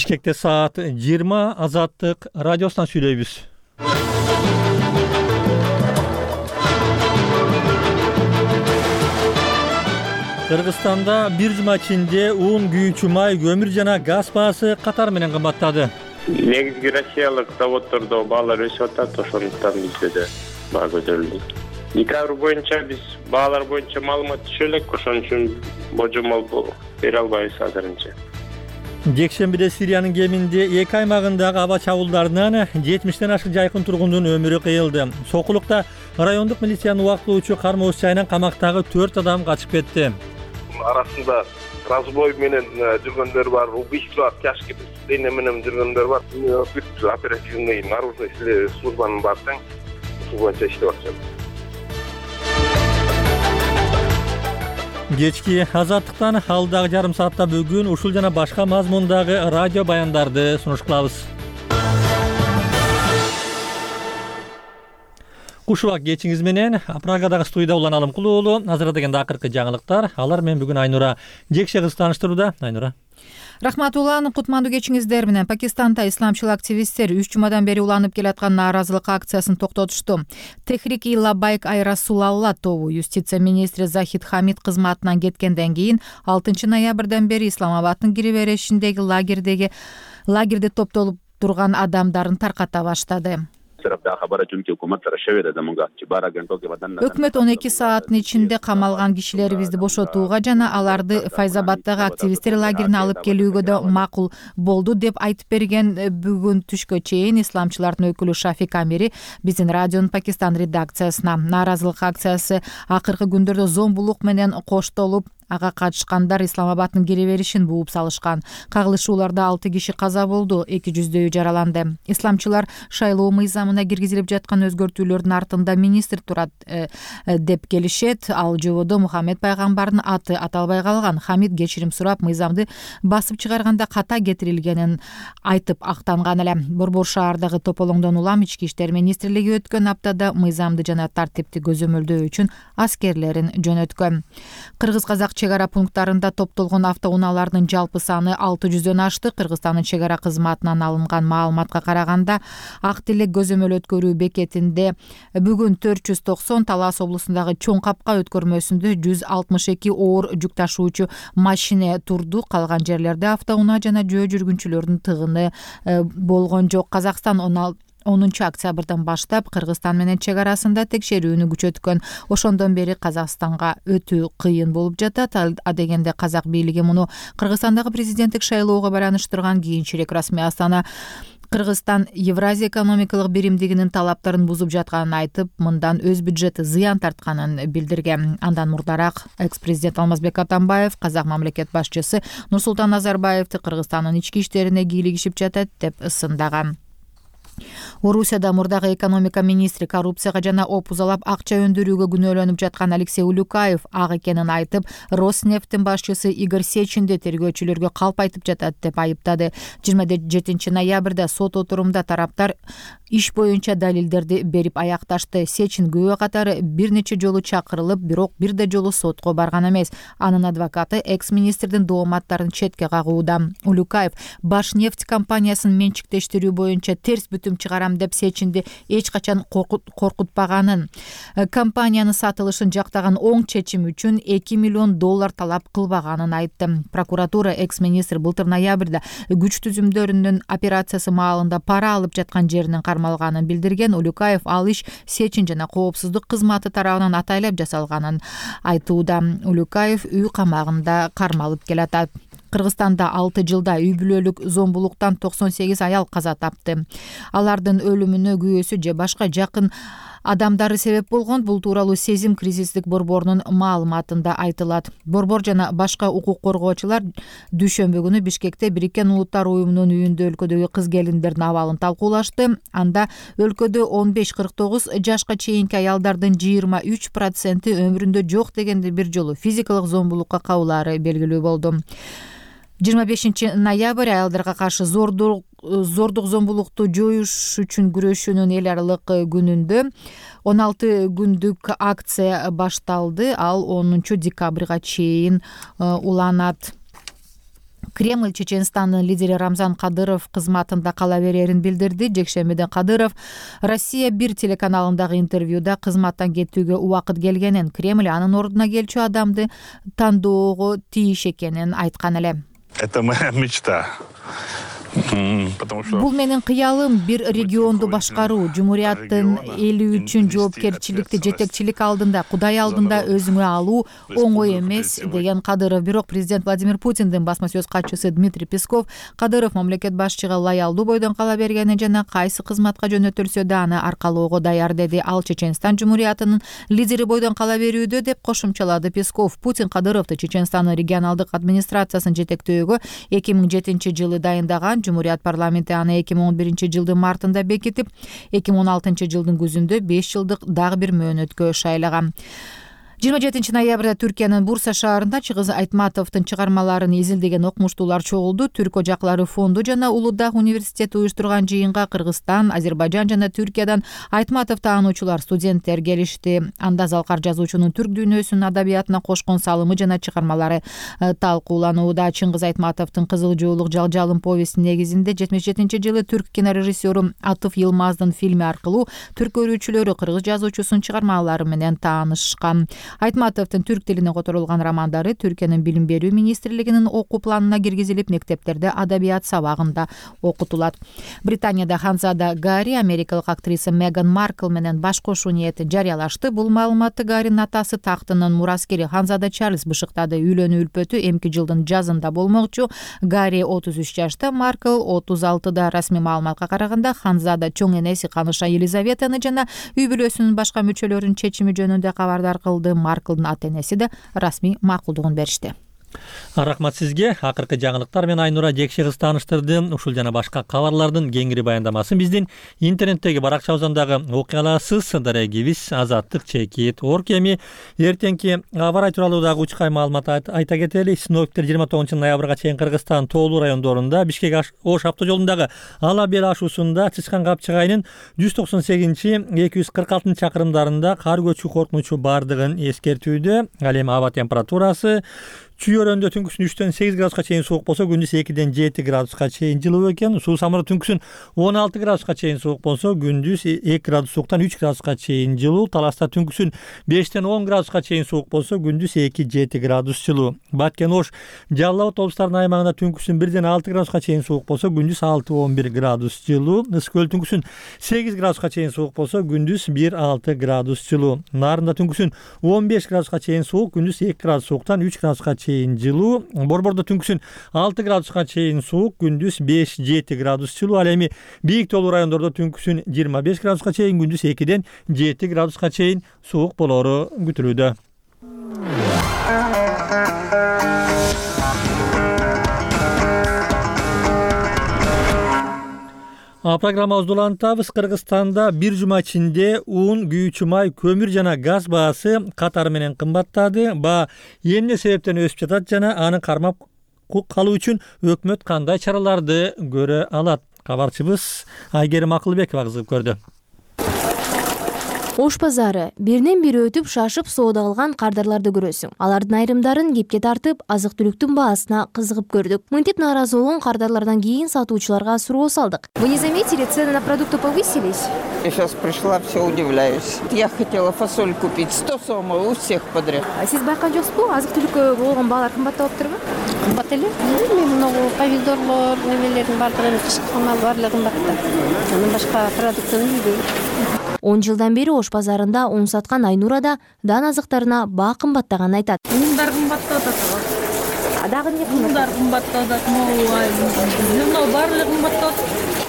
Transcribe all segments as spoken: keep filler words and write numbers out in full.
Бишкекте саат жыйырма, Азаттык радиосунан сүйлөйбүз. Кыргызстанда бир жума ичинде ун, күйүүчү май, көмүр жана газ баасы катар менен кымбаттады. Негизги россиялык заводдордо баалар өсүп атат, ошондуктан бизде да баа көтөрүлдү. Декабрь боюнча биз баалар боюнча маалымат түшө элек, ошон үчүн божомол бере албайбыз азырынча. Жекшембиде Сириянын Кеминде эки аймагындагы аба чабуулдарынан жетимиштен ашык жайкын тургундун өмүрү кыйылды. Сокулукта райондук милициянын убактылуучу кармоочу жайынан камактагы төрт адам качып кетти. Арасында разбой менен жүргөндөр бар, убийство, тяжкий преступление менен жүргөндөр бар. Оперативный наружный службанын бардык ушул боюнча иштеп атышат. Кечки Азаттыктан алдагы жарым саатта бүгүн ушул жана башка мазмундагы радио баяндарды сунуш кылабыз. Кушубак кечиңиз менен Прагадагы студияда Улан Алымкул уулу. Азырда дегенде акыркы жаңылыктар. Алар менен бүгүн Айнура Жекше кыз тааныштырууда. Айнура. Рахмат Улан, кутмандуу кечиңиздер менен. Пакистанда исламчыл активисттер үч жумадан бери уланып келаткан нааразылык акциясын токтотушту. Техрики Лабайк ай Расулалла тобу юстиция министри Захид Хамид кызматынан кеткенден кийин алтынчы ноябрдан бери Исламабаддын кире беришиндеги лагердеги лагерде топтолуп турган адамдарын тарката баштады. Өкмөт он эки сааттын ичинде камалган кишилерибизди бошотууга жана аларды Файзабаддагы активисттер лагерине алып келүүгө да макул болду деп айтып берген. Бүгүн түшкө чейин исламчылардын өкүлү Шафик Амири биздин радионун Пакистан редакциясына нааразылык акциясы акыркы күндөрдө зомбулук менен коштолуп, ага катышкандар Исламабаддын кире беришин бууп салышкан. Кагылышууларда алты киши каза болду, эки жүздөйү жараланды. Исламчылар шайлоо мыйзамына киргизилип жаткан өзгөртүүлөрдүн артында министр турат э, э, деп келишет. Ал жободо Мухаммед пайгамбардын аты аталбай калган. Хамид кечирим сурап, мыйзамды басып чыгарганда ката кетирилгенин айтып актанган эле. Борбор шаардагы тополоңдон улам ички иштер министрлиги өткөн аптада мыйзамды жана тартипти көзөмөлдөө үчүн аскерлерин жөнөткөн. Кыргыз-казак чек ара пункттарында топтолгон автоунаалардын жалпы саны алты жүздөн ашты. Кыргызстандын чек ара кызматынан алынган маалыматка караганда, Ак Тилек көзөмөл өткөрүү бекетинде бүгүн төрт жүз токсон, Талас облусундагы Чоң Капка өткөрмөсүндө жүз алтымыш эки оор жүк ташуучу машина турду. Калган жерлерде автоунаа жана жөө жүргүнчүлөрдүн тыгыны болгон жок. Казакстан онунчу октябрдан баштап Кыргызстан менен чек арасында текшерүүнү күчөткөн. Ошондон бери Казакстанга өтүү кыйын болуп жатат. А дегенде казак бийлиги муну Кыргызстандагы президенттик шайлоого байланыштырган. Кийинчерээк расмий Астана Кыргызстан Евразия экономикалык биримдигинин талаптарын бузуп жатканын айтып, мындан өз бюджети зыян тартканын билдирген. Андан мурдараак экс-президент Алмазбек Атамбаев казак мамлекет башчысы Нурсултан Назарбаевди Кыргызстандын ички иштерине кийлигишип жатат деп ысындаган. Орусияда мурдагы экономика министри коррупцияга жана опузалап акча өндүрүүгө күнөөлөнүп жаткан Алексей Улюкаев ак экенин айтып, Роснефттин башчысы Игорь Сечинди тергөөчүлөргө калп айтып жатат деп айыптады. жыйырма жетинчи ноябрда сот отурумда тараптар иш боюнча далилдерди берип аякташты. Сечин күбө катары бир нече жолу чакырылып, бирок бир да жолу сотко барган эмес. Анын адвокаты экс-министрдин дооматтарын четке кагууда. Улюкаев Башнефть компаниясын менчиктештирүү боюнча терс бүтүм чыгарам деп Сечинди эч качан коркутпаганын, компаниянын сатылышын жактаган оң чечим үчүн эки миллион доллар талап кылбаганын айтты. Прокуратура экс-министр былтыр ноябрда күч түзүмдөрүнүн операциясы маалында пара алып жаткан жеринен кармалганын билдирген. Улюкаев ал иш Сечин жана коопсуздук кызматы тарабынан атайлап жасалганын айтууда. Улюкаев үй камагында кармалып келатат. Кыргызстанда алты жылда үй бүлөлүк зомбулуктан токсон сегиз аял каза тапты. Алардын өлүмүнө күйөөсү же башка жакын адамдары себеп болгон. Бул тууралуу Сезим кризистик борборунун маалыматында айтылат. Борбор жана башка укук коргоочулар дүйшөмбү күнү Бишкекте Бириккен Улуттар уюмунун үйүндө өлкөдөгү кыз келиндердин абалын талкуулашты. Анда өлкөдө он беш кырк тогуз жашка чейинки аялдардын жыйырма үч проценти өмүрүндө жок дегенде бир жолу физикалык зомбулукка кабылаары белгилүү болду. жыйырма бешинчи ноябрь аялдарга каршы зордук зордук зомбулукту жоюш үчүн күрөшүүнүн эл аралык күнүндө он алты күндүк акция башталды. Ал онунчу декабрга чейин уланат. Кремль Чеченстандын лидери Рамзан Кадыров кызматында кала берерин билдирди. Жекшембиде Кадыров Россия бир телеканалындагы интервьюда кызматтан кетүүгө убакыт келгенин, Кремль анын ордуна келчү адамды тандоого тийиш экенин айткан эле. Это моя мечта. Бул менин кыялым бир регионду башкаруу, жумурияттын эли үчүн жоопкерчиликти жетекчилик алдында, Кудай алдында өзүңө алуу оңой эмес, деген Кадыров. Бирок президент Владимир Путиндин басма сөз катчысы Дмитрий Песков Кадыров мамлекет башчыга лаялдуу бойдон кала бергени жана кайсы кызматка жөнөтүлсө да аны аркалоого даяр деди. Ал Чеченстан жумуриятынын лидери бойдон кала берүүдө деп кошумчалады Песков. Путин Кадыровду Чеченстандын регионалдык администрациясын жетектөөгө эки миң жетинчи жылы дайындаган. Жумурият парламенти аны эки миң он биринчи жылдын мартында бекитип, эки миң он алтынчы жылдын күзүндө беш жылдык дагы бир мөөнөткө шайлаган. жыйырма жетинчи ноябрда Түркиянын Бурса шаарында Чыгыз Айтматовдун чыгармаларын изилдеген окумуштуулар чогулду. Түрк ожаклары фонду жана Улуу университети уюштурган жыйынга Кыргызстан, Азербайжан жана Түркиядан Айтматов таануучулар, студенттер келишти. Анда Залкар жазуучунун түрк дүйнөсүнүн адабиятына кошкон салымы жана чыгармалары талкууланууда. Чыңгыз Айтматовдун Кызыл жоолук жалжалым повестинин негизинде жетимиш жетинчи жылы түрк кинорежиссеру Атыф Йылмаздын фильми аркылуу түрк көрүүчүлөрү кыргыз жазуучусунун чыгармалары менен таанышкан. Айтматовдун түрк тилине которулган романдары Түркиянын билим берүү министрлигинин окуу планына киргизилип, мектептерде адабият сабагында окутулат. Британияда Ханзада Гарри америкалык актриса Меган Маркл менен баш кошуу ниетин жарыялашты. Бул маалыматты Гарринин атасы тактынын мураскери Ханзада Чарльз бышыктады. Үйлөнүү үлпөтү эмки жылдын жазында болмокчу. Гарри отуз үч жашта, Маркл отуз алтыда. Расмий маалыматка караганда Ханзада чоң энеси Каныша Елизаветаны жана үй бүлөсүнүн башка мүчөлөрүнүн чечими жөнүндө кабардар кылды. Марклдын ата-энеси да расмий макулдугун беришти. Рахмат сизге. Акыркы жаңылыктар менен Айнура Жекше кыз тааныштырды. Ушул жана башка кабарлардын кеңири баяндамасын биздин интернеттеги баракчабыздагы окуя аласыз. Дарегибиз Азаттык чекит орг. Эми эртеңки аба ырайы тууралуу дагы учкай маалымат айта кетели. Синоптиктер жыйырма тогузунчу ноябрга чейин Кыргызстан тоолуу райондорунда Бишкек Ош автожолундагы Ала Бел ашуусунда Чычкан Капчык айынын жүз токсон сегизинчи эки жүз кырк алтынчы чакырымдарында кар көчүү коркунучу бардыгын эскертүүдө. Ал эми аба температурасы Чүйөрөндө түнкүсүн үчтөн сегиз градуска чейин суук болсо, күндүз экиден жети градуска чейин жылуу экен. Суу самыры түнкүсүн он алты градуска чейин суук болсо, күндүз эки градус сууктан үч градуска чейин жылуу. Таласта түнкүсүн бештен он градуска чейин суук болсо, күндүз эки жети градус жылуу. Баткен Ош Жалал Абад облустарынын аймагында түнкүсүн бирден алты градуска чейин суук болсо, күндүз алты он бир градус жылуу. Ысык көл түнкүсүн сегиз градуска чейин суук болсо, күндүз бир алты градус жылуу. Нарында түнкүсүн он беш градуска чейин суук, күндүз эки градус сууктан үч градуска чейин жылуу. Борбордо түнкүсүн алты градуска чейин суук, күндүз беш жети градус жылуу. Ал эми бийик тоолуу райондордо түнкүсүн жыйырма беш градуска чейин, күндүз экиден жети градуска чейин суук болору күтүлүүдө. Программабызды улантабыз. Кыргызстанда бир жума ичинде ун, күйүүчү май, көмүр жана газ баасы катары менен кымбаттады. Баа эмне себептен өсүп жатат жана аны кармап калуу үчүн өкмөт кандай чараларды көрө алат? Кабарчыбыз Айгерим Акылбекова кызыгып көрдү. Ош базары биринен бири өтүп шашып соода кылган кардарларды көрөсүң. Алардын айрымдарын кепке тартып, азык-түлүктүн баасына кызыгып көрдүк. Мынтип нааразы болгон кардарлардан кийин сатуучуларга суроо салдык. Вы не заметили, цены на продукты повысились? Я сейчас пришла, все удивляюсь. Я хотела фасоль купить, сто сомов у всех подряд. А сиз байкаган жоксузбу? Азык-түлүккө болгон баалар кымбаттап атырбы? Кымбат эле. Мен могу помидорлор, немелердин баардыгы кышкы мал баардыгы кымбаттап. Андан башка продуктаны билбейм. он жылдан бери Ош базарында он саткан Айнура да дан азыктарына баа кымбаттаганын айтат. Ундар кымбаттап атат. А дагы эмне кымбат? Ундар кымбаттап атат, зерно баардыгы кымбаттап атат.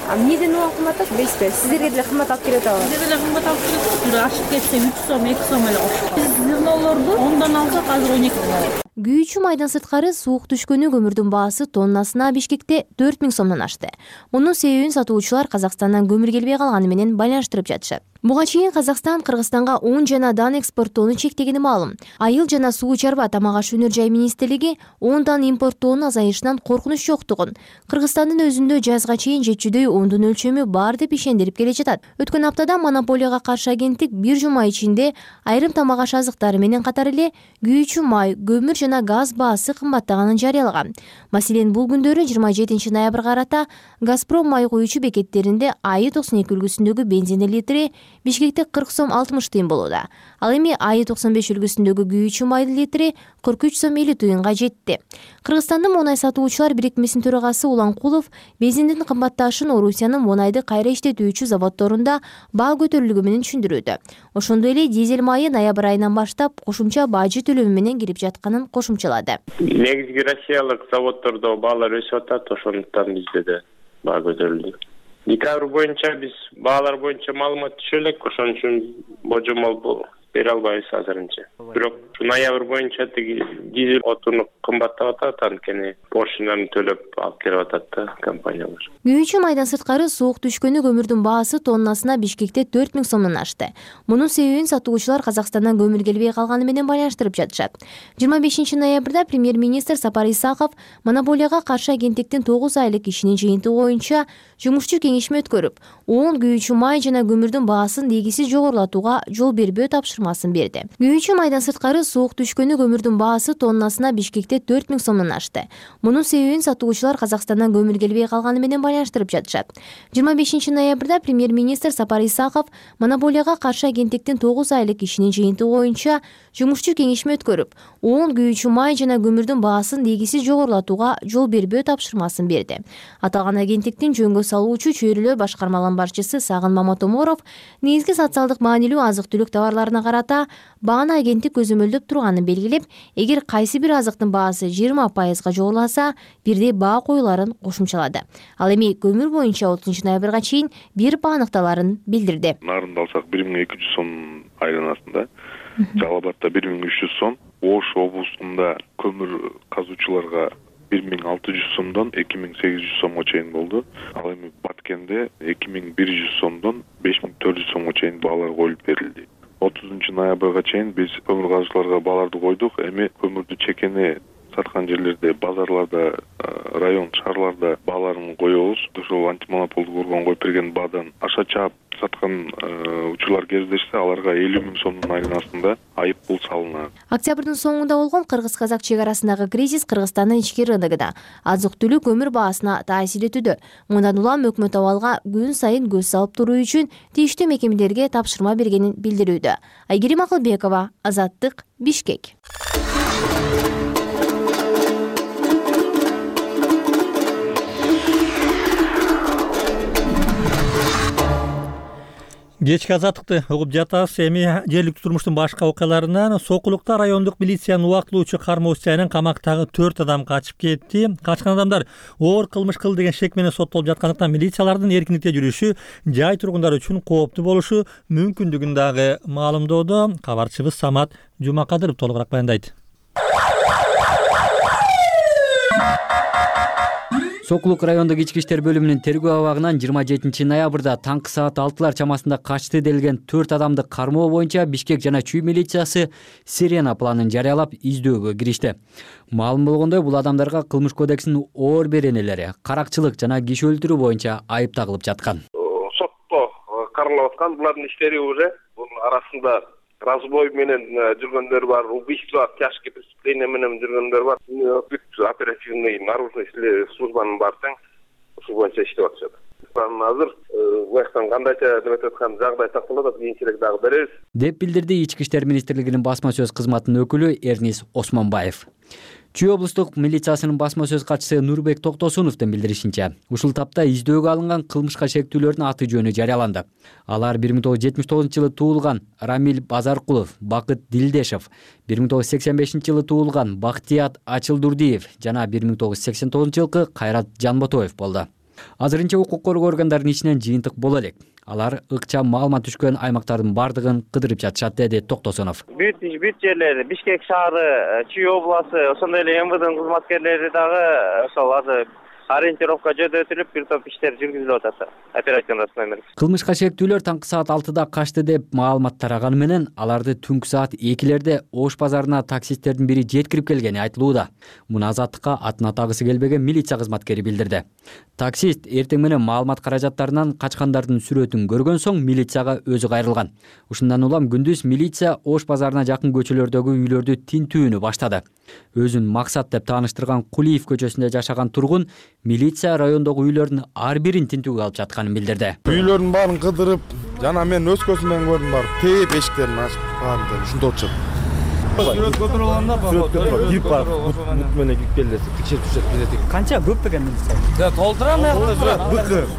А эмнеден уган кымбаттап? Билесизби? Сиздерге деле кымбат алып келет абы? Сиздерге деле кымбат алып келет. Тура ашып кетсе үч сом, эки сом эле кошкон. Биз зернолорду ондан алсак азыр он экиден алат. Күйүүчү майдан сырткары суук түшкөнү көмүрдүн баасы тоннасына Бишкекте төрт миң сомдон ашты. Мунун себебин сатуучулар Казакстандан көмүр келбей калганы менен байланыштырып жатышат. Буга чейин Казакстан Кыргызстанга un жана дан экспорттоону чектегени маалым. Айыл жана суу чарба тамак аш өнөр жай министрлиги ундан импорттоонун азайышынан коркунуч жоктугун, Кыргызстандын өзүндө жазга чейин жетчүдөй ундун өлчөмү бар деп ишендирип келе жатат. Өткөн аптада монополияга каршы агенттик бир жума ичинде айрым тамак аш азыктары менен катар эле күйүүчү май, көмүр жана газ баасы кымбаттаганын жарыялаган. Маселен, бул күндөрү жыйырма жетинчи ноябрга карата Газпром май куюучу бекеттеринде АИ токсон эки үлгүсүндөгү бензиндин литри Бишкекте кырк сом алтымыш тыйын болууда. Ал эми АИ токсон беш үлгүсүндөгү күйүүчү майдын литри кырк үч сом элүү тыйынга жетти. Кыргызстандын Монай сатуучулар бирикмесинин төрагасы Уланкулов бензиндин кымбатташын Орусиянын Монайды кайра иштетүүчү заводдорунда баа көтөрүлүгү менен түшүндүрүүдө. Ошондой эле дизель майы ноябрь айынан баштап кошумча бажы төлөмү менен кирип жатканын кошумчалады. Негизги россиялык заводдордо баалар өсүп атат, ошондуктан бизде да баа көтөрүлдү. Декабрь боюнча биз баалар боюнча маалымат түшө элек, ошон үчүн божомол бере албайбыз азырынча. Бирок ноябрь боюнча тиги дизель отуну кымбаттап атат, анткени пошлинаны төлөп алып келип атат да компаниялар. Күйүүчү майдан сырткары суук түшкөнү көмүрдүн баасы тоннасына Бишкекте төрт миң сомдон ашты. Мунун себебин сатуучулар Казакстандан көмүр келбей калганы менен байланыштырып жатышат. жыйырма бешинчи ноябрда премьер-министр Сапар Исаков монополияга каршы агенттиктин тогуз айлык ишинин жыйынтыгы боюнча жумушчу кеңешме өткөрүп, он күйүүчү май жана көмүрдүн баасын дегисиз жогорулатууга жол бербөө тапшырмасын берди. Күйүүчү майдан сырткары суук түшкөнү көмүрдүн баасы тоннасына Бишкекте төрт миң сомдон ашты. Мунун себебин сатуучулар Казакстандан көмүр келбей калганы менен байланыштырып жатышат. жыйырма бешинчи ноябрда премьер-министр Сапар Исаков монополияга каршы агенттиктин тогуз айлык ишинин жыйынтыгы боюнча жумушчу кеңешме өткөрүп, он күйүүчү май жана көмүрдүн баасын дегисиз жогорулатууга жол бербөө тапшырмасын берди. Аталган агенттиктин жөнгө салуучу чөйрөлөр башкармаларынын башчысы Сагын Маматоморов негизги социалдык маанилүү азык-түлүк товарларына карата бааны агенттик көзөмөлдөп турганын белгилеп, эгер кайсы бир азыктын баасы жыйырма пайызга жогоруласа, бирдей баа коюларын кошумчалады. Ал эми көмүр боюнча отузунчу ноябрга чейин бир баа аныкталарын билдирди. Нарында алсак бир миң эки жүз сом айланасында, Жалал Абадта бир миң үч жүз сом, Ош облусунда көмүр казуучуларга бир миң алты жүз сомдон эки миң сегиз жүз сомго чейин болду. Ал эми Баткенде эки миң бир жүз сомдон беш миң төрт жүз сомго чейин баалар коюлуп берилди. отузунчу ноябрга чейин биз көмүр казуучуларга бааларды койдук. Эми көмүрдү чекени саткан жерлерде, базарларда, район, шаарларда бааларын коебуз. Ошол антимонополдук орган коюп берген баадан аша чаап саткан учурлар кездешсе, аларга элүү миң сомдун айланасында айып пул салынат. Октябрдын соңунда болгон кыргыз-казак чек арасындагы кризис Кыргызстандын ички рыногунда азык-түлүк көмүр баасына таасир этүүдө. Мындан улам өкмөт абалга күн сайын көз салып туруу үчүн тийиштүү мекемелерге тапшырма бергенин билдирүүдө. Айгерим Акылбекова, Азаттык, Бишкек. Кечки азаттыкты угуп жатабыз. Эми жергиликтүү турмуштун башка окуяларынан Сокулукта райондук милициянын убактылуучу кармоочу жайынан камактагы төрт адам качып кетти. Качкан адамдар оор кылмыш кылды деген шек менен соттолуп жаткандыктан милициялардын эркиндикте жүрүшү жай тургундары үчүн кооптуу болушу мүмкүндүгүн дагы маалымдоодо. Кабарчыбыз Самат Жумакадыров толугураак баяндайт. Сокулук райондук ички иштер бөлүмүнүн тергөө абагынан жыйырма жетинчи ноябрда таңкы саат алтылар чамасында качты делген төрт адамды кармоо боюнча Бишкек жана Чүй милициясы Сирена планын жарыялап издөөгө киришти. Маалым болгондой, бул адамдарга Кылмыш кодексинин оор беренелери, каракчылык жана киши өлтүрүү боюнча айып тагылып жаткан. Сотто каралып аткан булардын иштери уже бунун арасында разбой менен жүргөндөр бар, убийство, тяжкие преступления менен жүргөндөр бар. Бүт оперативный наружный службанын баардыгы ушул боюнча иштеп атышат. Азыр бuyактан кандайча деп аткан жагдай такталат, кийинчерээк дагы беребиз, деп билдирди Ички иштер министрлигинин басма сөз кызматынын өкүлү Эрнис Осмонбаев. Чүй облустук милициясынын басма сөз катчысы Нурбек Токтосуновдун билдиришинче, ушул тапта издөөгө алынган кылмышка шектүүлөрдүн аты жөнү жарыяланды. Алар бир миң тогуз жүз жетимиш тогузунчу жылы туулган Рамил Базаркулов, Бакыт Дилдешев, бир миң тогуз жүз сексен бешинчи жылы туулган Бактият Ачылдурдиев жана бир миң тогуз жүз сексен тогузунчу жылкы Кайрат Жанботоев болду. Азырынча укук коргоо органдарынын ичинен жыйынтык боло элек. Алар ыкчам маалымат түшкөн аймактардын бардыгын кыдырып жатышат, деди Токтосунов. Бүт бүт жерлерди, Бишкек шаары, Чүй областы, ошондой эле эм вэ дэнын кызматкерлери дагы ошол азыр ориентировка жада өтүлүп, бир топ иштер жүргүзүлүп атат. Оперативный номер. Кылмышка шектүүлөр таңкы саат алтыда качты деп маалымат тараганы менен аларды түнкү саат экилерде Ош базарына таксисттердин бири жеткирип келгени айтылууда. Муну Азаттыкка атын атагысы келбеген милиция кызматкери билдирди. Таксист эртең менен маалымат каражаттарынан качкандардын сүрөтүн көргөн соң милицияга өзү кайрылган. Ушундан улам күндүз милиция Ош базарына жакын көчөлөрдөгү үйлөрдү тинтүүнү баштады. Өзүн максат деп тааныштырган Кулиев көчөсүндө жашаган тургун милиция райондогу үйлөрдүн ар бирин тинтүүгө алып жатканын билдирди. Үйлөрдүн баарын кыдырып, жана мен өз көзүм менен көрдүм, бар тээп эшиктерин ачып калган, ушунда отурушат. Сүрөт көтөрүп алганда кирип барып, мут менен кирип келди, текшерип турушат билетик. Канча көп экен милиция? Да, толтурам аякта быкыр.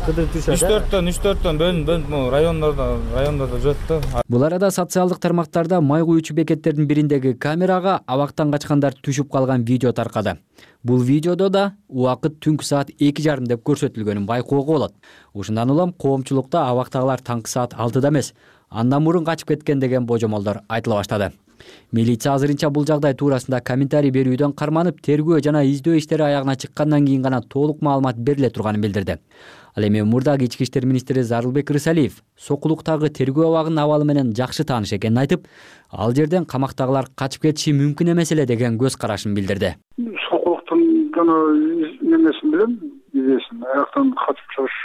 үч төрттөн үч төрттөн бөлүнүп райондордо райондордо жүрөт да. Бул арада социалдык тармактарда май куючу бекеттердин бириндеги камерага абактан качкандар түшүп калган видео таркады. Бул видеодо да убакыт түнкү саат эки жарым деп көрсөтүлгөнүн байкоого болот. Ушундан улам коомчулукта абактагылар таңкы саат алтыда эмес, андан мурун качып кеткен деген божомолдор айтыла баштады. Милиция азырынча бул жагдай туурасында комментарий берүүдөн карманып, тергөө жана издөө иштери аягына чыккандан кийин гана толук маалымат бериле турганын билдирди. Ал эми мурдагы ички иштер министри Зарылбек Рысалиев сокулуктагы тергөө абагынын абалы менен жакшы тааныш экенин айтып, ал жерден камактагылар качып кетиши мүмкүн эмес эле деген көз карашын билдирди. Сокулуктун жана немесин билем, идеясын аяктан качып чыгыш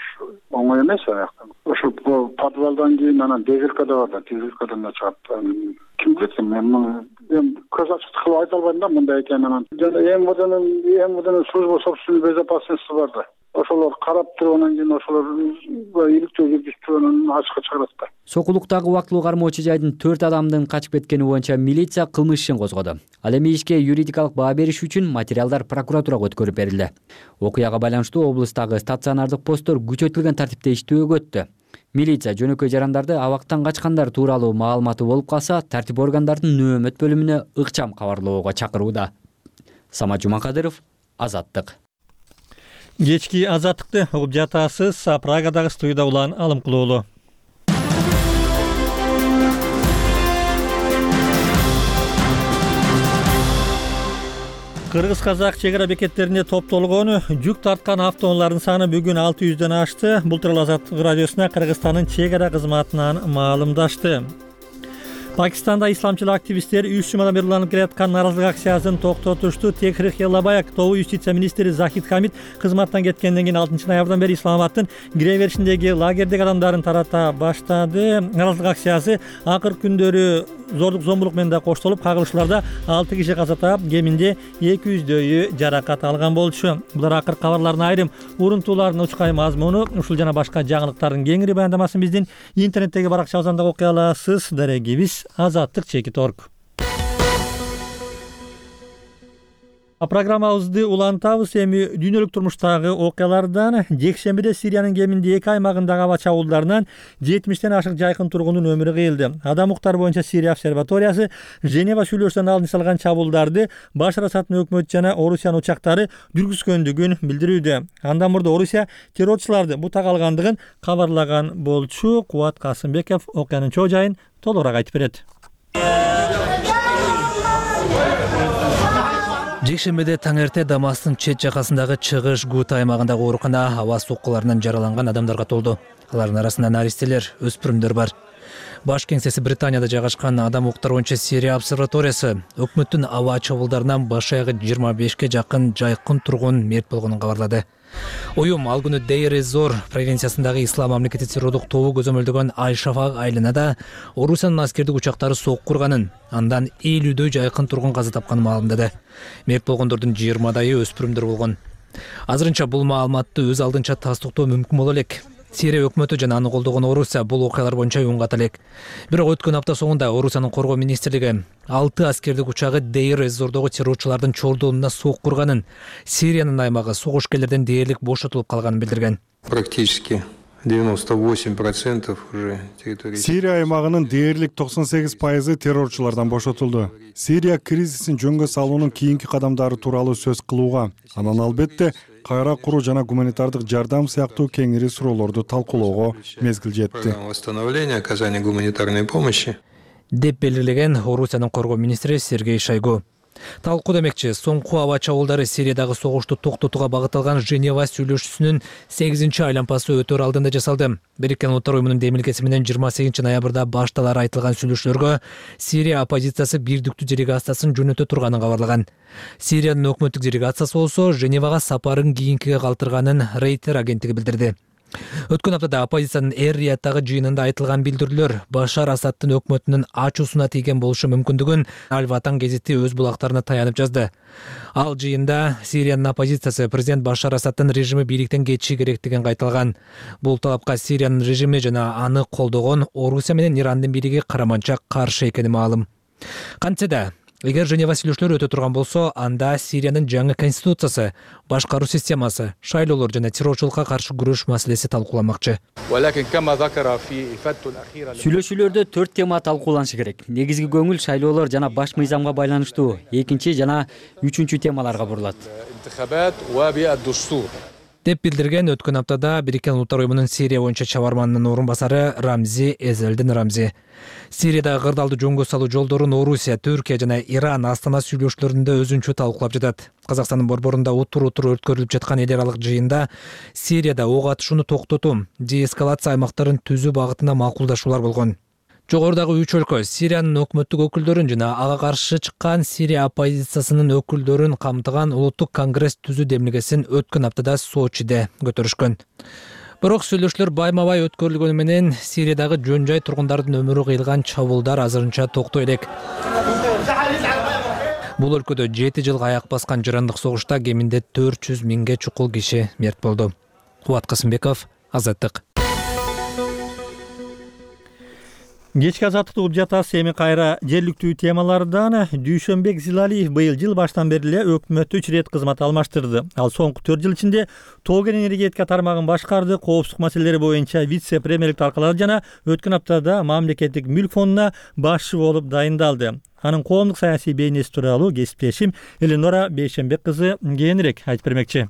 оңой эмес аяктан. Ошо подвалдан кийин анан дезилкада бар да, дезилкадан да чыгат. Ким билет, мен эми көз ачык кылып айта албайм да мындай экенин. Жана МВДнын МВДнын служба собственной безопасности бар да. Ошолор карап тургандан кийин ошолор иликтөө жүргүзүп турганын ачыкка чыгарат да. Сокулуктагы убактылуу кармоочу жайдын төрт адамдын качып кеткени боюнча милиция кылмыш ишин козгоду. Ал эми ишке юридикалык баа бериш үчүн материалдар прокуратурага өткөрүп берилди. Окуяга байланыштуу облустагы стационардык посттор күчөтүлгөн тартипте иштөөгө өттү. Милиция жөнөкөй жарандарды абактан качкандар тууралуу маалыматы болуп калса, тартип органдардын нөөмөт бөлүмүнө ыкчам кабарлоого чакырууда. Самат Жумакадыров, Азаттык. Кечки Азаттыкты угуп жатасыз. Прагадагы студияда улан Алымкулуулу. Кыргыз-казак чек ара бекеттерине топтолгон жүк тарткан автоунаалардын саны бүгүн алты жүздөн ашты. Бул тууралуу Азаттык радиосуна Кыргызстандын чек ара кызматынан маалымдашты. Пакистанда исламчыл активисттер үч жумадан бери уланып келаткан нааразылык акциясын токтотушту. Техрих Ялабаек, тобу юстиция министри Захид Хамид кызматтан кеткенден кийин алтынчы ноябрдан бери Исламабадтын кире беришиндеги лагердеги адамдарын тарата баштады. Нааразылык акциясы акыркы күндөрү зордук зомбулук менен да коштолуп, кагылышууларда алты киши каза таап, кеминде эки жүздөйү жаракат алган болчу. Булар акыркы кабарлардын айрым урунтууларынын учкай мазмуну. Ушул жана башка жаңылыктардын кеңири баяндамасын биздин интернеттеги баракчабыздан да окуй аласыз. Дарегибиз Азаттык чекит точка орг. Программабызды улантабыз. Эми дүйнөлүк турмуштагы окуялардан. Жекшембиде Сириянын кеминде эки аймагындагы аба чабуулдарынан жетимиштен ашык жайкын тургундун өмүрү кыйылды. Адам укуктары боюнча Сирия обсерваториясы Женева сүйлөшүүсүнөн алдын салган чабуулдарды Башар Асаддын өкмөтү жана Орусиянын учактары жүргүзгөндүгүн билдирүүдө. Андан мурда Орусия террорчуларды бутак алгандыгын кабарлаган болчу. Кубат Касымбеков окуянын чоо жайын толугураак айтып берет. Жекшембиде таң эрте Дамастын чет жакасындагы Чыгыш Гута аймагындагы оорукана аба соккуларынан жараланган адамдарга толду. Алардын арасында наристелер, өспүрүмдөр бар. Баш кеңсеси Британияда жайгашкан Адам укуктары боюнча Сирия обсерваториясы өкмөттүн аба чабуулдарынан баш аягы жыйырма бешке жакын жайкын тургун мерт болгонун кабарлады. Уюм ал күнү Дейр-эз-Зор провинциясындагы Ислам мамлекети террордук тобу көзөмөлдөгөн Ай-Шафак айылында Орусиянын аскердик учактары сокку курганын, андан элүүдөй жайкын тургун каза тапканын маалымдады. Мерт болгондордун жыйырмадайы өспүрүмдөр болгон. Азырынча бул маалыматты өз алдынча тастыктоо мүмкүн боло элек. Сирия өкмөтү жана аны колдогон Орусия бул окуялар боюнча унгат элек. Бирок өткөн апта соңунда Орусиянын коргоо министрлиги алты аскердик учагы Дейр-эз-Зордогу террорчулардын чордуунуна сокку курганын, Сириянын аймагы согушкерлерден дээрлик бошотулуп калганын билдирген. Практически девяносто восемь процентов уже территории. Сирия аймагынын дээрлик токсон сегиз пайызы террорчулардан бошотулду. Сирия кризисин жөнгө салуунун кийинки кадамдары тууралуу сөз кылууга, анан албетте кайра куруу жана гуманитардык жардам сыяктуу кеңири суроолорду талкуулоого мезгил жетти. Восстановление, оказание гуманитарной помощи деп белгилеген Орусиянын коргоо министри Сергей Шойгу. Талкуу демекчи, соңку аба чабуулдары Сириядагы согушту токтотууга багытталган Женева сүйлөшүүсүнүн сегизинчи айлампасы өтөр алдында жасалды. Бириккен Улуттар уюмунун демилгеси менен жыйырма сегизинчи ноябрда башталары айтылган сүйлөшүүлөргө Сирия оппозициясы бирдиктүү делегациясын жөнөтө турганын кабарлаган. Сириянын өкмөттүк делегациясы болсо Женевага сапарын кийинкиге калтырганын Рейтер агенттиги билдирди. Өткөн аптада оппозициянын Эр-Рияттагы жыйынында айтылган билдирүүлөр Башар Асадтын өкмөтүнүн ачуусуна тийген болушу мүмкүндүгүн Аль-Ватан гезити өз булактарына таянып жазды. Ал жыйында Сириянын оппозициясы президент Башар Асадтын режими бийликтен кетиши керектигин кайталган. Бул талапка Сириянын режими жана аны колдогон Орусия менен Ирандын бийлиги караманча каршы экени маалым. Кантсе да, эгер Женева сүйлөшүүлөрү өтө турган болсо, анда Сириянын жаңы конституциясы, башкаруу системасы, шайлоолор жана террорчулукка каршы күрөш маселеси талкууламакчы. Сүйлөшүүлөрдө төрт тема талкууланышы керек. Негизги көңүл шайлоолор жана баш мыйзамга байланыштуу, экинчи жана үчүнчү темаларга бурулат. Деп билдирген өткөн аптада Бириккен Улуттар уюмунун Сирия боюнча чабарманынын орун басары Рамзи Эзелдин Рамзи. Сириядагы кырдаалды жөнгө салуу жолдорун Орусия, Түркия жана Иран Астана сүйлөшүүлөрүндө өзүнчө талкуулап жатат. Казакстандын борборунда утур-утур өткөрүлүп жаткан эл аралык жыйында Сирияда ок атышууну токтотуу, деэскалация аймактарын түзүү багытында макулдашуулар болгон. Жогорудагы үч өлкө Сириянын өкмөттүк өкүлдөрүн жана ага каршы чыккан Сирия оппозициясынын өкүлдөрүн камтыган улуттук конгресс түзүү демилгесин өткөн аптада Сочиде көтөрүшкөн. Бирок сүйлөшүүлөр байма-бай өткөрүлгөнү менен Сириядагы жөн-жай тургундардын өмүрү кыйылган чабуулдар азырынча токтой элек. Бул өлкөдө жети жылга аяк баскан жырандык согушта кеминде төрт жүз миңге чукул киши мерт болду. Кубат Касымбеков, Азаттык. Кечки азаттыкты угуп жатасыз. Эми кайра жергиликтүү темалардан. Дүйшөнбек Зилалиев быйыл жыл баштан бери эле өкмөттө үч ирет кызмат алмаштырды. Ал соңку төрт жыл ичинде тоо кен энергетика тармагын башкарды, коопсуздук маселелери боюнча вице-премьерлик таркалады жана өткөн аптада мамлекеттик мүлк фондуна башчы болуп дайындалды. Анын коомдук саясий бейнеси тууралуу кесиптешим Эленора Бейшенбек кызы кийинирээк айтып бермекчи.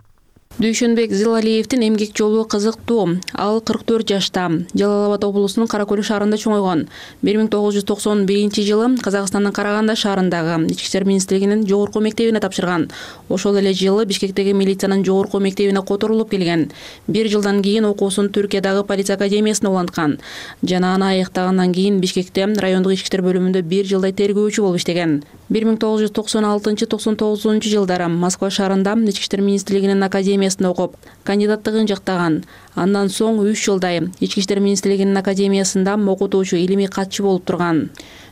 Дүйшөнбек Зилалиевдин эмгек жолу кызыктуу. Ал кырк төрт жашта. Жалал Абад облусунун Кара-Көл шаарында чоңойгон. бир миң тогуз жүз токсон биринчи жылы Казакстандын Караганда шаарындагы Ички иштер министрлигинин жогорку мектебине тапшырган. Ошол эле жылы Бишкектеги милициянын жогорку мектебине которулуп келген. Бир жылдан кийин окуусун Түркиядагы полиция академиясына уланткан. Жана аны аяктагандан кийин Бишкекте райондук ички иштер бөлүмүндө бир жылдай тергөөчү болуп иштеген. бир миң тогуз жүз токсон алтынчы токсон тогузунчу жылдары Москва шаарында Ички иштер министрлигинин академиясында окуп, кандидаттыгын жактаган. Андан соң үч жылдай Ички иштер министрлигинин академиясында окутуучу, илимий катчы болуп турган.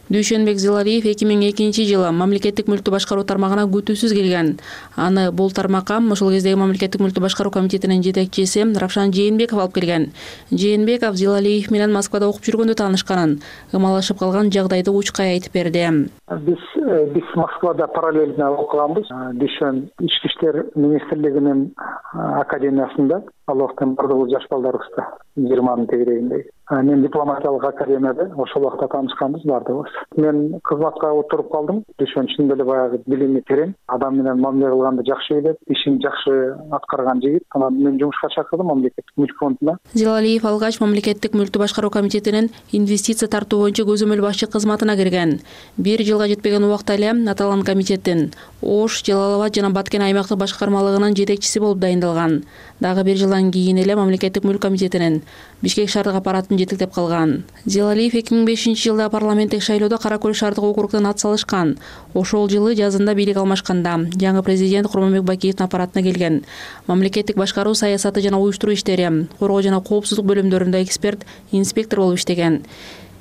Дүйшөнбек Зилалиев эки миң экинчи жылы мамлекеттик мүлктү башкаруу тармагына күтүүсүз келген. Аны бул тармакка ошол кездеги мамлекеттик мүлктү башкаруу комитетинин жетекчиси Равшан Жээнбеков алып келген. Жээнбеков Зилалиев менен Москвада окуп жүргөндө таанышканын, ымалашып калган жагдайды учкай айтып берди. Биз биз Москвада параллельно окуганбыз. Дүйшөн ички иштер министрлигинин академиясында, ал убакта бардыгыбыз жаш балдарыбызда, жыйырманын тегерегинде. Мен дипломатиялык академияда ошол убакта таанышканбыз бардыгыбыз. Мен кызматка отуруп калдым. Дүйшөн чын эле баягы билими терең, адам менен мамиле кылганды жакшы билет, ишин жакшы аткарган жигит. Анан мен жумушка чакырдым мамлекеттик мүлк фондуна. Зилалиев алгач мамлекеттик мүлктү башкаруу комитетинин инвестиция тартуу боюнча көзөмөл башчы кызматына кирген. Бир жылга жетпеген убакта эле аталган комитеттин Ош, Жалал Абад жана Баткен аймактык башкармалыгынын жетекчиси болуп дайындалган. Дагы бир жылдан кийин эле мамлекеттик мүлк комитетинин Бишкек шаардык аппаратын жетектеп калган. Зилалиев эки миң бешинчи жылда парламенттик шайлоодо Кара-Көл шаардык округунан ат салышкан. Ошол жылы жазында бийлик алмашканда жаңы президент Курманбек Бакиевдин аппаратына келген. Мамлекеттик башкаруу саясаты жана уюштуруу иштери, коргоо жана коопсуздук бөлүмдөрүндө эксперт, инспектор болуп иштеген.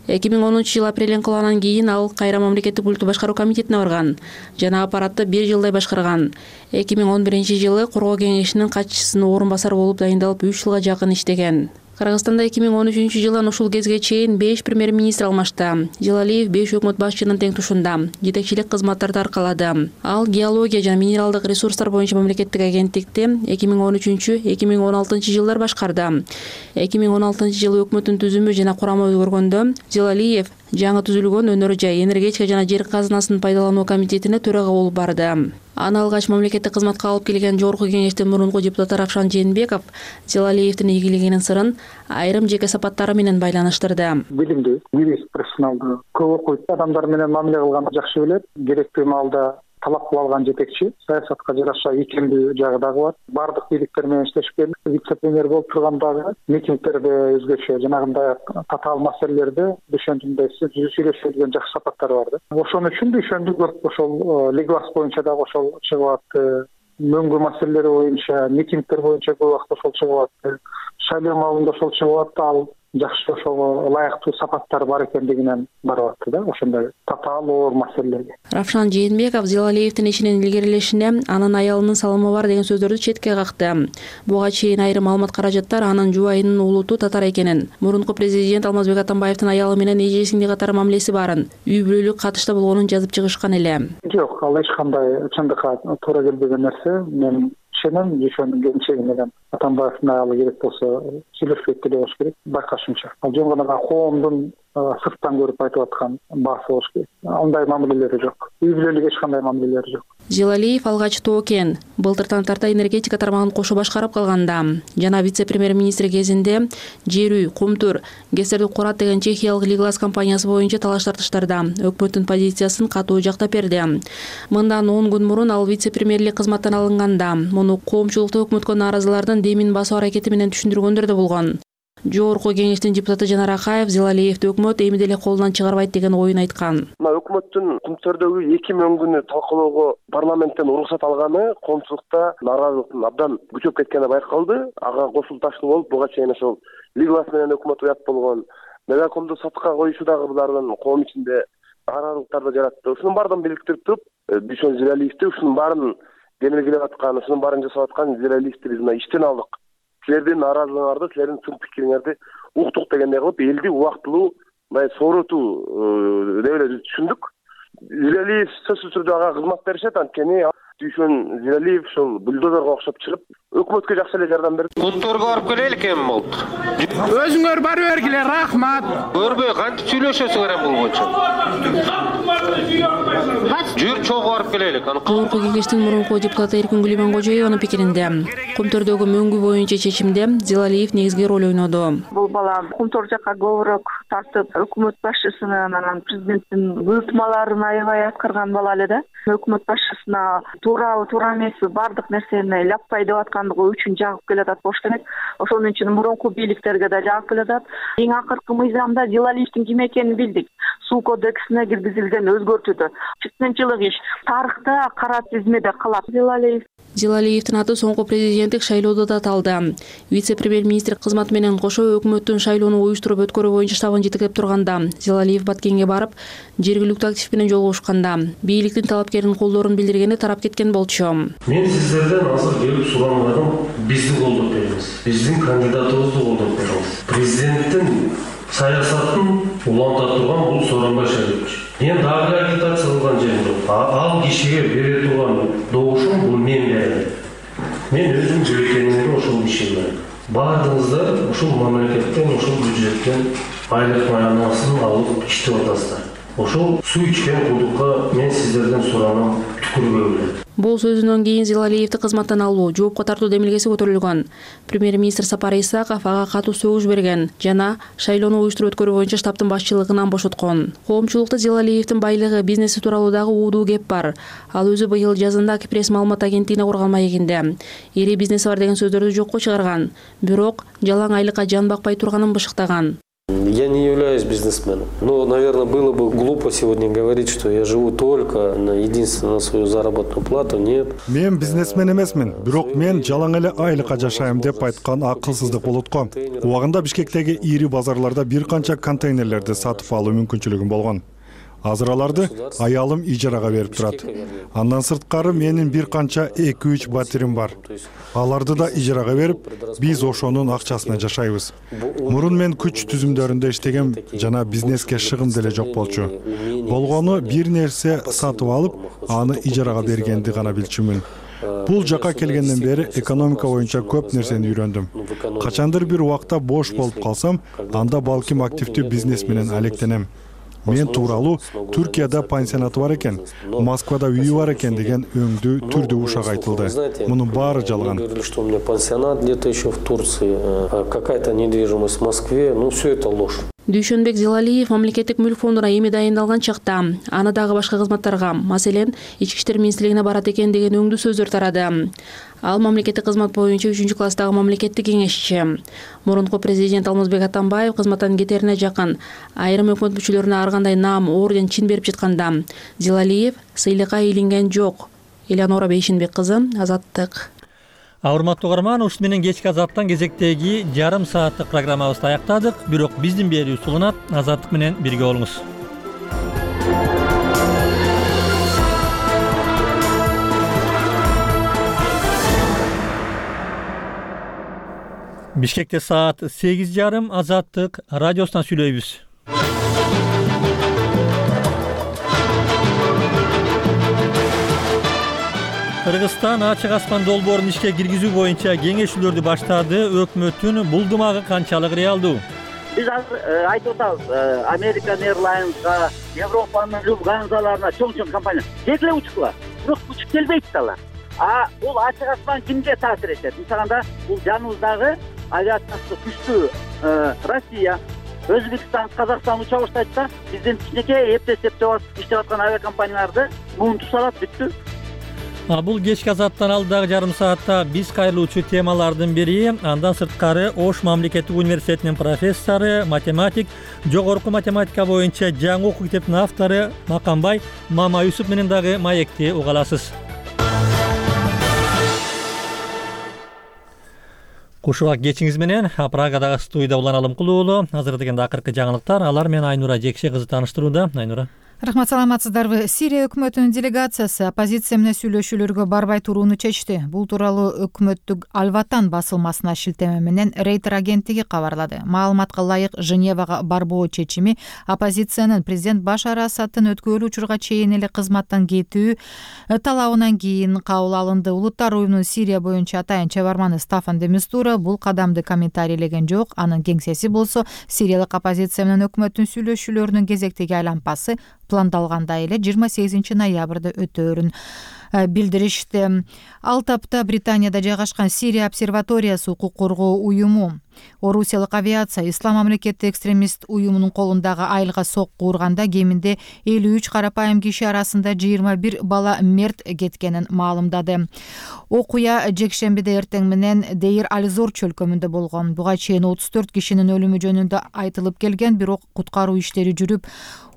эки миң онунчу жылы апрель инкылабынан кийин ал кайра мамлекеттик мүлктү башкаруу комитетине барган жана аппаратты бир жылдай башкарган. эки миң он биринчи жылы коргоо кеңешинин катчысынын орун басары болуп дайындалып үч жылга жакын иштеген. Кыргызстанда эки миң он үчүнчү жылдан ушул кезге чейин беш премьер-министр алмашты. Зилалиев беш өкмөт башчынын тең тушунда жетекчилик кызматтарды аркалады. Ал геология жана минералдык ресурстар боюнча мамлекеттик агенттикти эки миң он үчүнчү эки миң он алтынчы жылдар башкарды. эки миң он алтынчы жылы өкмөттүн түзүмү жана курамы өзгөргөндө Зилалиев жаңы түзүлгөн өнөр жай, энергетика жана жер казынасын пайдалануу комитетине төрага болуп барды. Аны алгач мамлекеттик кызматка алып келген жогорку кеңештин мурунку депутаты Равшан Жээнбеков Зилалиевдин ийгилигинин сырын айрым жеке сапаттары менен байланыштырды. Билимдүү, юрист, профессионалдуу, көп окуйт, адамдар менен мамиле кылганды жакшы билет. Керектүү маалда талап кылып алган жетекчи, саясатка жараша икемдүү жагы дагы бар. Бардык бийликтер менен иштешип келдик. Вице-премьер болуп тургандагы митингдерде өзгөчө жанагындай татаал маселелерде дүйшөндүмдөй сүйлөшүп жүргөн жакшы сапаттар бар да. Ошон үчүн дүйшөндү көп ошол Лиглас боюнча дагы ошол чыгып атты. Мөңгү маселелери боюнча, митингдер боюнча көп убакыт ошол чыгып атты. Шайлоо маалында ошол чыгып атты. Ал жакшы ошого ылайыктуу сапаттар бар экендигинен барып атты да, ошондой татаал оор маселелерге. Равшан Жээнбеков Зилалиевдин ишинин илгерилешине анын аялынын салымы бар деген сөздөрдү четке какты. Буга чейин айрым маалымат каражаттар анын жубайынын улуту татар экенин, мурунку президент Алмазбек Атамбаевдин аялы менен эжесиңди катар мамилеси барын, үй бүлөлүк катышта болгонун жазып чыгышкан эле. Жок, ал эч кандай чындыкка туура келбеген нерсе. Мен ишенем, дүйшөндүн келинчеги менен Атамбаевдин аялы керек болсо сүйлөшүп эле болуш керек. Байкашымча, ал жөн гана коомдун сырттан көрүп айтып аткан баасы болуш керек. Андай мамилелери жок. Үй бүлөлүк эч кандай мамилелери жок. Зилалиев алгач Тоокен былтыртан тарта энергетика тармагын кошо башкарып калганда жана вице-премьер-министр кезинде жер үй, кумтур, гэстерди курат деген чехиялык Лиглас компаниясы боюнча талаш тартыштарда өкмөттүн позициясын катуу жактап берди. Мындан он күн мурун ал вице-премьерлик кызматтан алынганда муну коомчулукта өкмөткө нааразылардын демин басуу аракети менен түшүндүргөндөр да болгон. Жогорку кеңештин депутаты Жанар Акаев Зилалиевди өкмөт эми деле колунан чыгарбайт деген оюн айткан. Өкмөттүн кумтөрдөгү эки мөңгүнү талкуулоого парламенттен уруксат алганы коомчулукта нааразылыктын абдан күчөп кеткени байкалды. Ага кошулташтуу болуп, буга чейин ошол Лиглас менен өкмөт уят болгон, Мегакомду сатыкка коюшу дагы булардын коом ичинде нааразылыктарды жаратты. Ушунун баардыгын бириктирип туруп, Дүйшөн Зилалиевди ушунун баарын демилгелеп аткан, ушунун баарын жасап аткан Зилалиевди биз мына иштен алдык. Силердин нааразылыгыңарды, силердин чын пикириңерди уктук дегендей кылып, элди убактылуу мындай сооротуу деп эле түшүндүк. Зилалиев сөзсүз түрдө ага кызмат беришет, анткени Дүйшөн Зилалиев ошол бульдозерго окшоп чыгып, өкмөткө жакшы эле жардам берди. Конторго барып келелик эми болду. Өзүңөр барып бергиле, рахмат. Көрбөй кантип сүйлөшөсүңөр эми бул боюнча? Жүр чогуу барып келелик. Жогорку кеңештин мурунку депутаты Эркингүл Имангожоеванын пикиринде кумтөрдөгү мөңгү боюнча чечимде Зилалиев негизги роль ойноду. Бул бала кумтөр жакка көбүрөөк тартып, өкмөт башчысынын анан президенттин буйртмаларын аябай аткарган бала эле да. Өкмөт башчысына туурабы, туура эмеспи, бардык нерсени ляппай деп аткандыгы үчүн жагып келатат болуш керек. Ошон үчүн мурунку бийликтерге да жагып келатат. Эң акыркы мыйзамда Зилалиевдин ким экенин билдик. Суу кодексине киргизилген өзгөртүүдө. Чыксынчылык иш тарыхта кара тизмеде калат. Зилалиев Зилалиевдин аты соңку президенттик шайлоодо да аталды. Вице-премьер-министр кызматы менен кошо өкмөттүн шайлоону уюштуруп өткөрүү боюнча штабын жетектеп турганда Зилалиев Баткенге барып, жергиликтүү актив менен жолугушканда бийликтин талапкеринин колдоорун билдиргени тарап кеткен болчу. Мен сиздерден азыр келип сураганым бизди колдоп бериңиз. Биздин кандидатыбызды колдоп бериңиз. Президенттин саясатын уланта турган бул Сооронбай Шарипович. Мен дагы агитация кылган жерим жок. Ал кишиге бере турган добушум бул мен берем. Мен өзүм бюллетенimди ошол кишиге берем. Баардыгыңыздар ушул мамлекеттен, ушул бюджеттен айлык маянасын алып иштеп атасыздар. Ошол суу ичкен кудукка мен сиздерден суранам, түкүрбөйлү. Бул сөзүнөн кийин Зилалиевди кызматтан алуу, жоопко тартуу демилгеси көтөрүлгөн. Премьер-министр Сапар Исаков ага катуу сөгүш берген жана шайлоону уюштуруп өткөрүү боюнча штабтын башчылыгынан бошоткон. Коомчулукта Зилалиевдин байлыгы, бизнеси тууралуу дагы уудуу кеп бар. Ал өзү быйыл жазында Кипресс маалымат агенттигине курган маегинде ири бизнеси бар деген сөздөрдү жокко чыгарган. Бирок жалаң айлыкка жан бакпай турганын бышыктаган. Я не являюсь бизнесменом. Но, наверное, было бы глупо сегодня говорить, что я живу только на единственно на свою заработную плату. Нет. Мен бизнесмен эмесмин, бирок мен жалаң эле айлыкка жашайм деп айткан акылсыздык болот го. Убагында Бишкектеги ири базарларда бир канча контейнерлерди сатып алуу мүмкүнчүлүгүм болгон. Азыр аларды аялым ижарага берип турат. Андан сырткары менин бир канча эки үч батирим бар. Аларды да ижарага берип, биз ошонун акчасына жашайбыз. Мурун мен күч түзүмдөрүндө иштегем жана бизнеске шыгым деле жок болчу. Болгону бир нерсе сатып алып, аны ижарага бергенди гана билчүмүн. Бул жака келгенден бери экономика боюнча көп нерсени үйрөндүм. Качандыр бир убакта бош болуп калсам, анда балким активдүү бизнес менен алектенем. Мен тууралуу Түркияда пансионаты бар экен, Москвада үйү бар экен деген өңдүү түрдүү ушак айтылды. Мунун баары жалган. Что у меня пансионат где-то еще в Турции, какая-то недвижимость в Москве, ну все это ложь. Дүйшөнбек Зилалиев мамлекеттик мүлк фондуна эми дайындалган чакта аны дагы башка кызматтарга, маселен, Ички иштер министрлигине барат экен деген өңдүү сөздөр тарады. Ал мамлекеттик кызмат боюнча үчүнчү класстагы мамлекеттик кеңешчи. Мурунку президент Алмазбек Атамбаев кызматтан кетерине жакын айрым өкмөт мүчөлөрүнө ар кандай наам, орден, чин берип жатканда Зилалиев сыйлыкка илинген жок. Элеонора Бейшинбек кызы, Азаттык. Урматтуу угарман, ушун менен кечки Азаттан кезектеги жарым сааттык программабызды аяктадык. Бирок биздин берүү сулунат. Азаттык менен бирге болуңуз. Бишкекте саат сегиз жарым. Азаттык радиосунан сүйлөйбүз. Кыргызстан ачык аспан долбоорун ишке киргизүү боюнча кеңешүүлөрдү баштады. Өкмөттүн булдумагы канчалык реалдуу? Биз азыр айтып атабыз, American Airlines'га, Европанын Люфтгансаларына чоң-чоң компания тез эле учкула. Бирок учуп келбейт алар. А бул ачык аспан кимге таасир этет? Мисалында, бул жаныбыздагы авиациясы күчтүү Россия, Өзбекстан, Казакстан уча баштайт да, биздин кичинекей эптеп-эптеп иштеп аткан авиакомпанияларды муунтуп салат, бүттү. Бул кечки Азаттан алдагы жарым саатта биз кайрылуучу темалардын бири. Андан сырткары Ош мамлекеттик университетинин профессору, математик, жогорку математика боюнча жаңы окуу китептин автору Макамбай Мамаюсуп менен дагы маекти уга аласыз. Кушубак кечиңиз менен Прагадагы студияда Улан Алымкул уулу. Азыр дегенде акыркы жаңылыктар. Алар менен Айнура Жекше кызы тааныштырууда. Айнура. Рахмат, саламатсыздарбы. Сирия өкмөтүнүн делегациясы оппозиция менен сүйлөшүүлөргө барбай турууну чечти. Бул тууралуу өкмөттүк Аль-Ватан басылмасына шилтеме менен Рейтер агенттиги кабарлады. Маалыматка ылайык, Женевага барбоо чечими оппозициянын президент Башар Асадтын өткөрүлүү учурга чейин эле кызматтан кетүү талабынан кийин кабыл алынды. Улуттар уюмунун Сирия боюнча атайын чебарманы Стафан де Мистура бул кадамды комментарийлеген жок. Анын кеңсеси болсо Сириялык оппозиция менен өкмөттүн сүйлөшүүлөрүнүн кезектеги айланпасы пландалгандай эле жыйырма сегизинчи ноябрда өтөөрүн билдиришти. Ал тапта Британияда жайгашкан Сирия обсерваториясы укук коргоо уюму Орусиялык авиация Ислам мамлекети экстремист уюмунун колундагы айылга сокку урганда кеминде элүү үч карапайым киши арасында жыйырма бир бала мерт кеткенин маалымдады. Окуя жекшембиде эртең менен Дейр Аль-Зор чөлкөмүндө болгон. Буга чейин отуз төрт кишинин өлүмү жөнүндө айтылып келген, бирок куткаруу иштери жүрүп,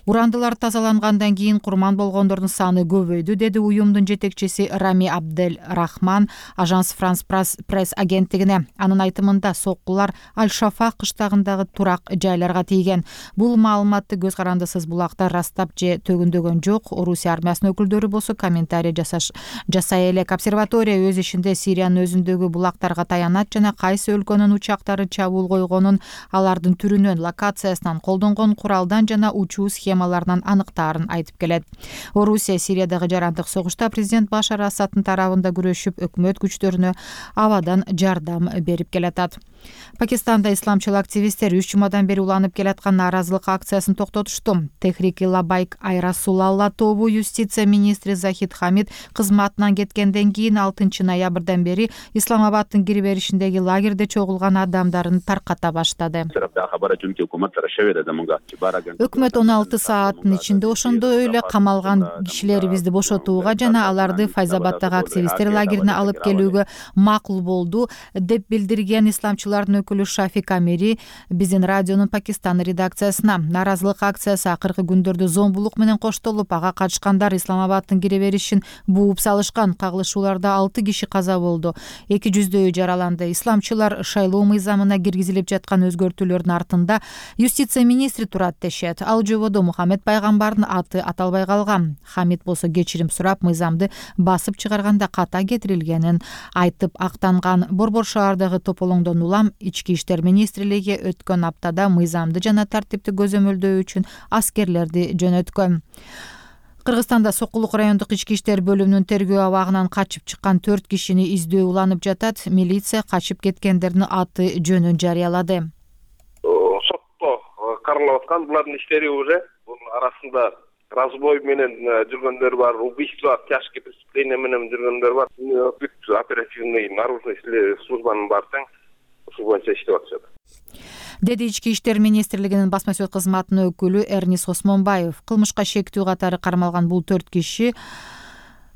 урандылар тазалангандан кийин курман болгондордун саны көбөйдү, деди уюмдун жетекчиси Рами Абдель Рахман Ажанс Франс Пресс агенттигине. Анын айтымында соккулар Аль-Шафак кыштагындагы турак жайларга тийген. Бул маалыматты көз карандысыз булактар растап же төгүндөгөн жок. Орусия армиясынын өкүлдөрү болсо комментарий жасаш жасай элек. Обсерватория өз ишинде Сириянын өзүндөгү булактарга таянат жана кайсы өлкөнүн учактары чабуул койгонун, алардын түрүнөн, локациясынан, колдонгон куралдан жана учуу схемаларынан аныктаарын айтып келет. Орусия Сириядагы жарандык согушта президент Башар Асадтын тарабында күрөшүп, өкмөт күчтөрүнө абадан жардам берип келатат. Пакистанда исламчыл активисттер үч жумадан бери уланып келаткан нааразылык акциясын токтотушту. Техрики Лабайк Айрасулалла тобу юстиция министри Захид Хамид кызматынан кеткенден кийин алтынчы ноябрдан бери Исламабаддын кире беришиндеги лагерде чогулган адамдарын тарката баштады. Өкмөт он алты сааттын ичинде ошондой эле камалган кишилерибизди бошотууга жана аларды Файзабаддагы активисттер лагерине алып келүүгө макул болду, деп билдирген исламчылардын өкүлү Шафик Амири биздин радионун Пакистан редакциясына. Нааразылык акциясы акыркы күндөрдө зомбулук менен коштолуп, ага катышкандар Исламабаддын кире беришин бууп салышкан. Кагылышууларда алты киши каза болду, эки жүздөйү жараланды. Исламчылар шайлоо мыйзамына киргизилип жаткан өзгөртүүлөрдүн артында юстиция министри турат дешет. Ал жободо Мухаммед пайгамбардын аты аталбай калган. Хамид болсо кечирим сурап, мыйзамды басып чыгарганда ката кетирилгенин айтып актанган. Борбор шаардагы тополоңдон улам ички иштер министрлиги өткөн аптада мыйзамды жана тартипти көзөмөлдөө үчүн аскерлерди жөнөткөн. Кыргызстанда Сокулук райондук ички иштер бөлүмүнүн тергөө абагынан качып чыккан төрт кишини издөө уланып жатат. Милиция качып кеткендердин аты жөнүн жарыялады. Сотто каралып аткан булардын иштери уже бул арасында разбой менен жүргөндөр бар, убийство, тяжкие преступления менен жүргөндөр бар. Бүт оперативный наружный службанын баардыгы ушул боюнча иштеп атышат. деди Ички иштер министрлигинин басма сөз кызматынын өкүлү Эрнис Осмонбаев. Кылмышка шектүү катары кармалган бул төрт киши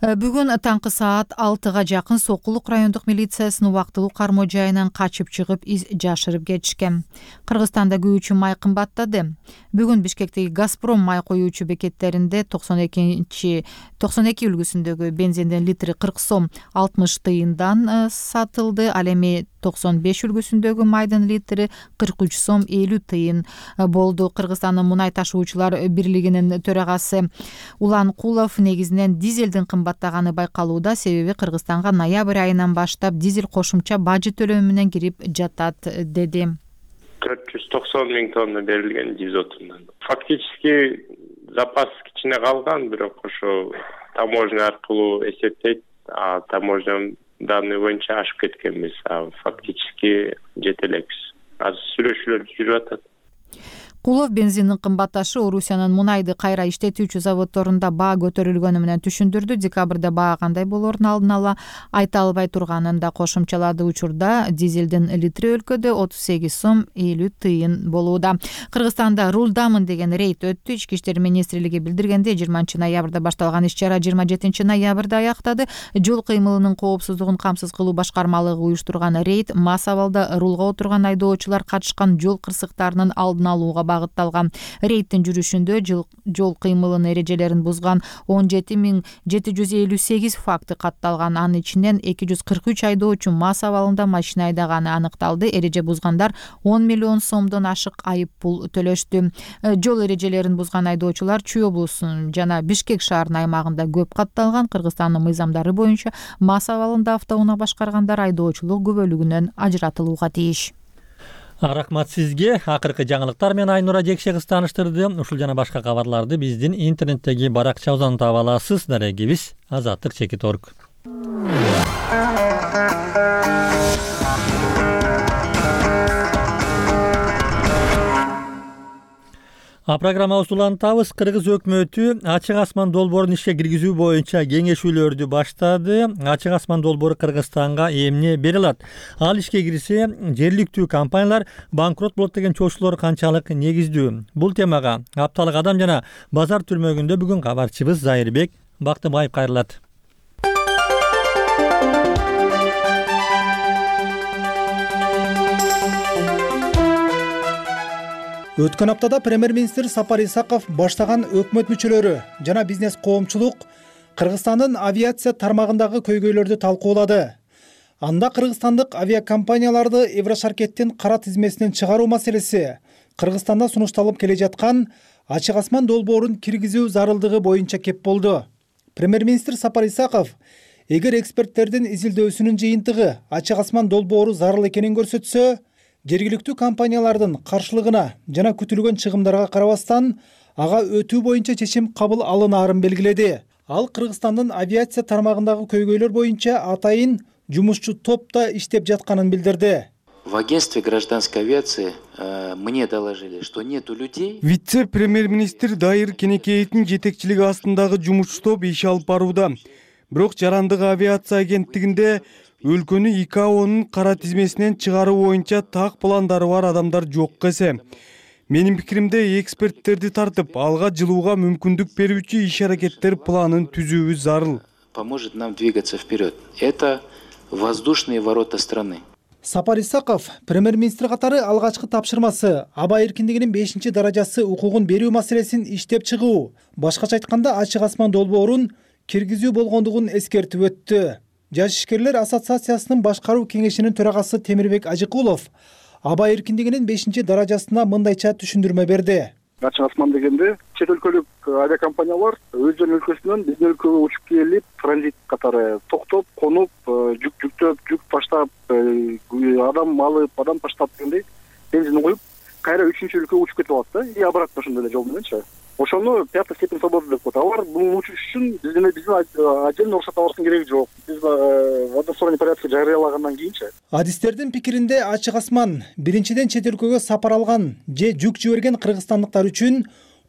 бүгүн таңкы саат алтыга жакын Сокулук райондук милициясынын убактылуу кармоо жайынан качып чыгып из жашырып кетишкен. Кыргызстанда күйүүчү май кымбаттады. Бүгүн Бишкектеги Газпром май коюучу бекеттеринде токсон эки токсон эки үлгүсүндөгү бензиндин литри кырк сом алтымыш тыйындан сатылды. Ал эми токсон беш үлгүсүндөгү майдын литри кырк үч сом элүү тыйын болду. Кыргызстандын мунай ташуучулар бирлигинин төрагасы Улан Кулов негизинен дизелдин кымбаттаганы байкалууда, себеби Кыргызстанга ноябрь айынан баштап дизель кошумча бажы төлөмү менен кирип жатат деди. төрт жүз токсон миң тонна берилген дизотундан. Фактически запас кичине калган, бирок ошо таможня аркылуу эсептейт, а таможня данный боюнча ашып кеткенбиз, а фактически жете элекпиз. Азыр сүйлөшүүлөр жүрүп атат. Кулов бензиндин кымбатташы Орусиянын мунайды кайра иштетүүчү заводдорунда баа көтөрүлгөнү менен түшүндүрдү. Декабрда баа кандай болоорун алдын ала айта албай турганын да кошумчалады. Учурда дизелдин литри өлкөдө отуз сегиз сом элүү тыйын болууда. Кыргызстанда рулдамын деген рейд өттү. Ички иштер министрлиги билдиргенде жыйырманчы ноябрда башталган иш-чара жыйырма жетинчи ноябрда аяктады. Жол кыймылынын коопсуздугун камсыз кылуу башкармалыгы уюштурган рейд мас абалда рулга отурган айдоочулар катышкан жол кырсыктарынын алдын алууга багытталган. Рейдтин жүрүшүндө жол кыймылынын эрежелерин бузган он жети миң жети жүз элүү сегиз факты катталган. Анын ичинен эки жүз кырк үч айдоочу мас абалында машина айдаганы аныкталды. Эреже бузгандар он миллион сомдон ашык айып пул төлөштү. Жол эрежелерин бузган айдоочулар Чүй облусунун жана Бишкек шаарынын аймагында көп катталган. Кыргызстандын мыйзамдары боюнча мас абалында автоунаа башкаргандар айдоочулук күбөлүгүнөн ажыратылууга тийиш. Рахмат сизге. Акыркы жаңылыктар менен Айнура Жекше кыз тааныштырды. Ушул жана башка кабарларды биздин интернеттеги баракчабыздан таба аласыз. Дарегибиз азаттык чекит точка орг. А программабызды улантабыз. Кыргыз өкмөтү ачык асман долбоорун ишке киргизүү боюнча кеңешүүлөрдү баштады. Ачык асман долбоору Кыргызстанга эмне бере алат? Ал ишке кирсе, жергиликтүү компаниялар банкрот болот деген чоочулор канчалык негиздүү? Бул темага Апталык адам жана базар түрмөгүндө бүгүн кабарчыбыз Зайырбек Бактыбаев кайрылат. Өткөн аптада премьер-министр Сапар Исаков баштаган өкмөт мүчөлөрү жана бизнес коомчулук Кыргызстандын авиация тармагындагы көйгөйлөрдү талкуулады. Анда кыргызстандык авиакомпанияларды Еврошаркеттин кара тизмесинен чыгаруу маселеси, Кыргызстанда сунушталып келе жаткан ачык асман долбоорун киргизүү зарылдыгы боюнча кеп болду. Премьер-министр Сапар Исаков эгер эксперттердин изилдөөсүнүн жыйынтыгы ачык асман долбоору зарыл экенин көрсөтсө, жергиликтүү компаниялардын каршылыгына жана күтүлгөн чыгымдарга карабастан ага өтүү боюнча чечим кабыл алынаарын белгиледи. Ал Кыргызстандын авиация тармагындагы көйгөйлөр боюнча атайын жумушчу топ да иштеп жатканын билдирди. В агентстве гражданской авиации э, мне доложили, что нету людей. Вице-премьер-министр Дайыр Кенекеевдин жетекчилиги астындагы жумушчу топ иш алып барууда. Бирок жарандык авиация агенттигинде өлкөнү И К О'нун кара тизмесинен чыгаруу боюнча так пландары бар адамдар жок эсе. Менин пикиримде эксперттерди тартып, алга жылууга мүмкүндүк берүүчү иш-аракеттер планын түзүүбүз зарыл. Поможет нам двигаться вперед. Это воздушные ворота страны. Сапар Исаков премьер-министр катары алгачкы тапшырмасы аба эркиндигинин бешинчи даражасы укугун берүү маселесин иштеп чыгуу, башкача айтканда ачык асман долбоорун киргизүү болгондугун эскертип өттү. Жаш ишкерлер ассоциациясынын башкаруу кеңешинин төрагасы Темирбек Ажыкулов аба эркиндигинин бешинчи даражасына мындайча түшүндүрмө берди. Ачык асман дегенде чет өлкөлүк авиакомпаниялар өздөрүнүн өлкөсүнөн биздин өлкөгө учуп келип, транзит катары токтоп, конуп, жүк жүктөп, жүк таштап, адам алып, адам таштап дегендей бензин куюп, кайра үчүнчү өлкөгө учуп кетип алат да, и обратно ошондой эле жол мененчи. Ошону пятая степень свободы деп коет. Алар бул учуш үчүн биздин биздин отдельно уруксат алыштын кереги жок. Биз в односторонний порядке жарыялагандан кийинчи. Адистердин пикиринде ачык асман биринчиден чет өлкөгө сапар алган же жүк жиберген кыргызстандыктар үчүн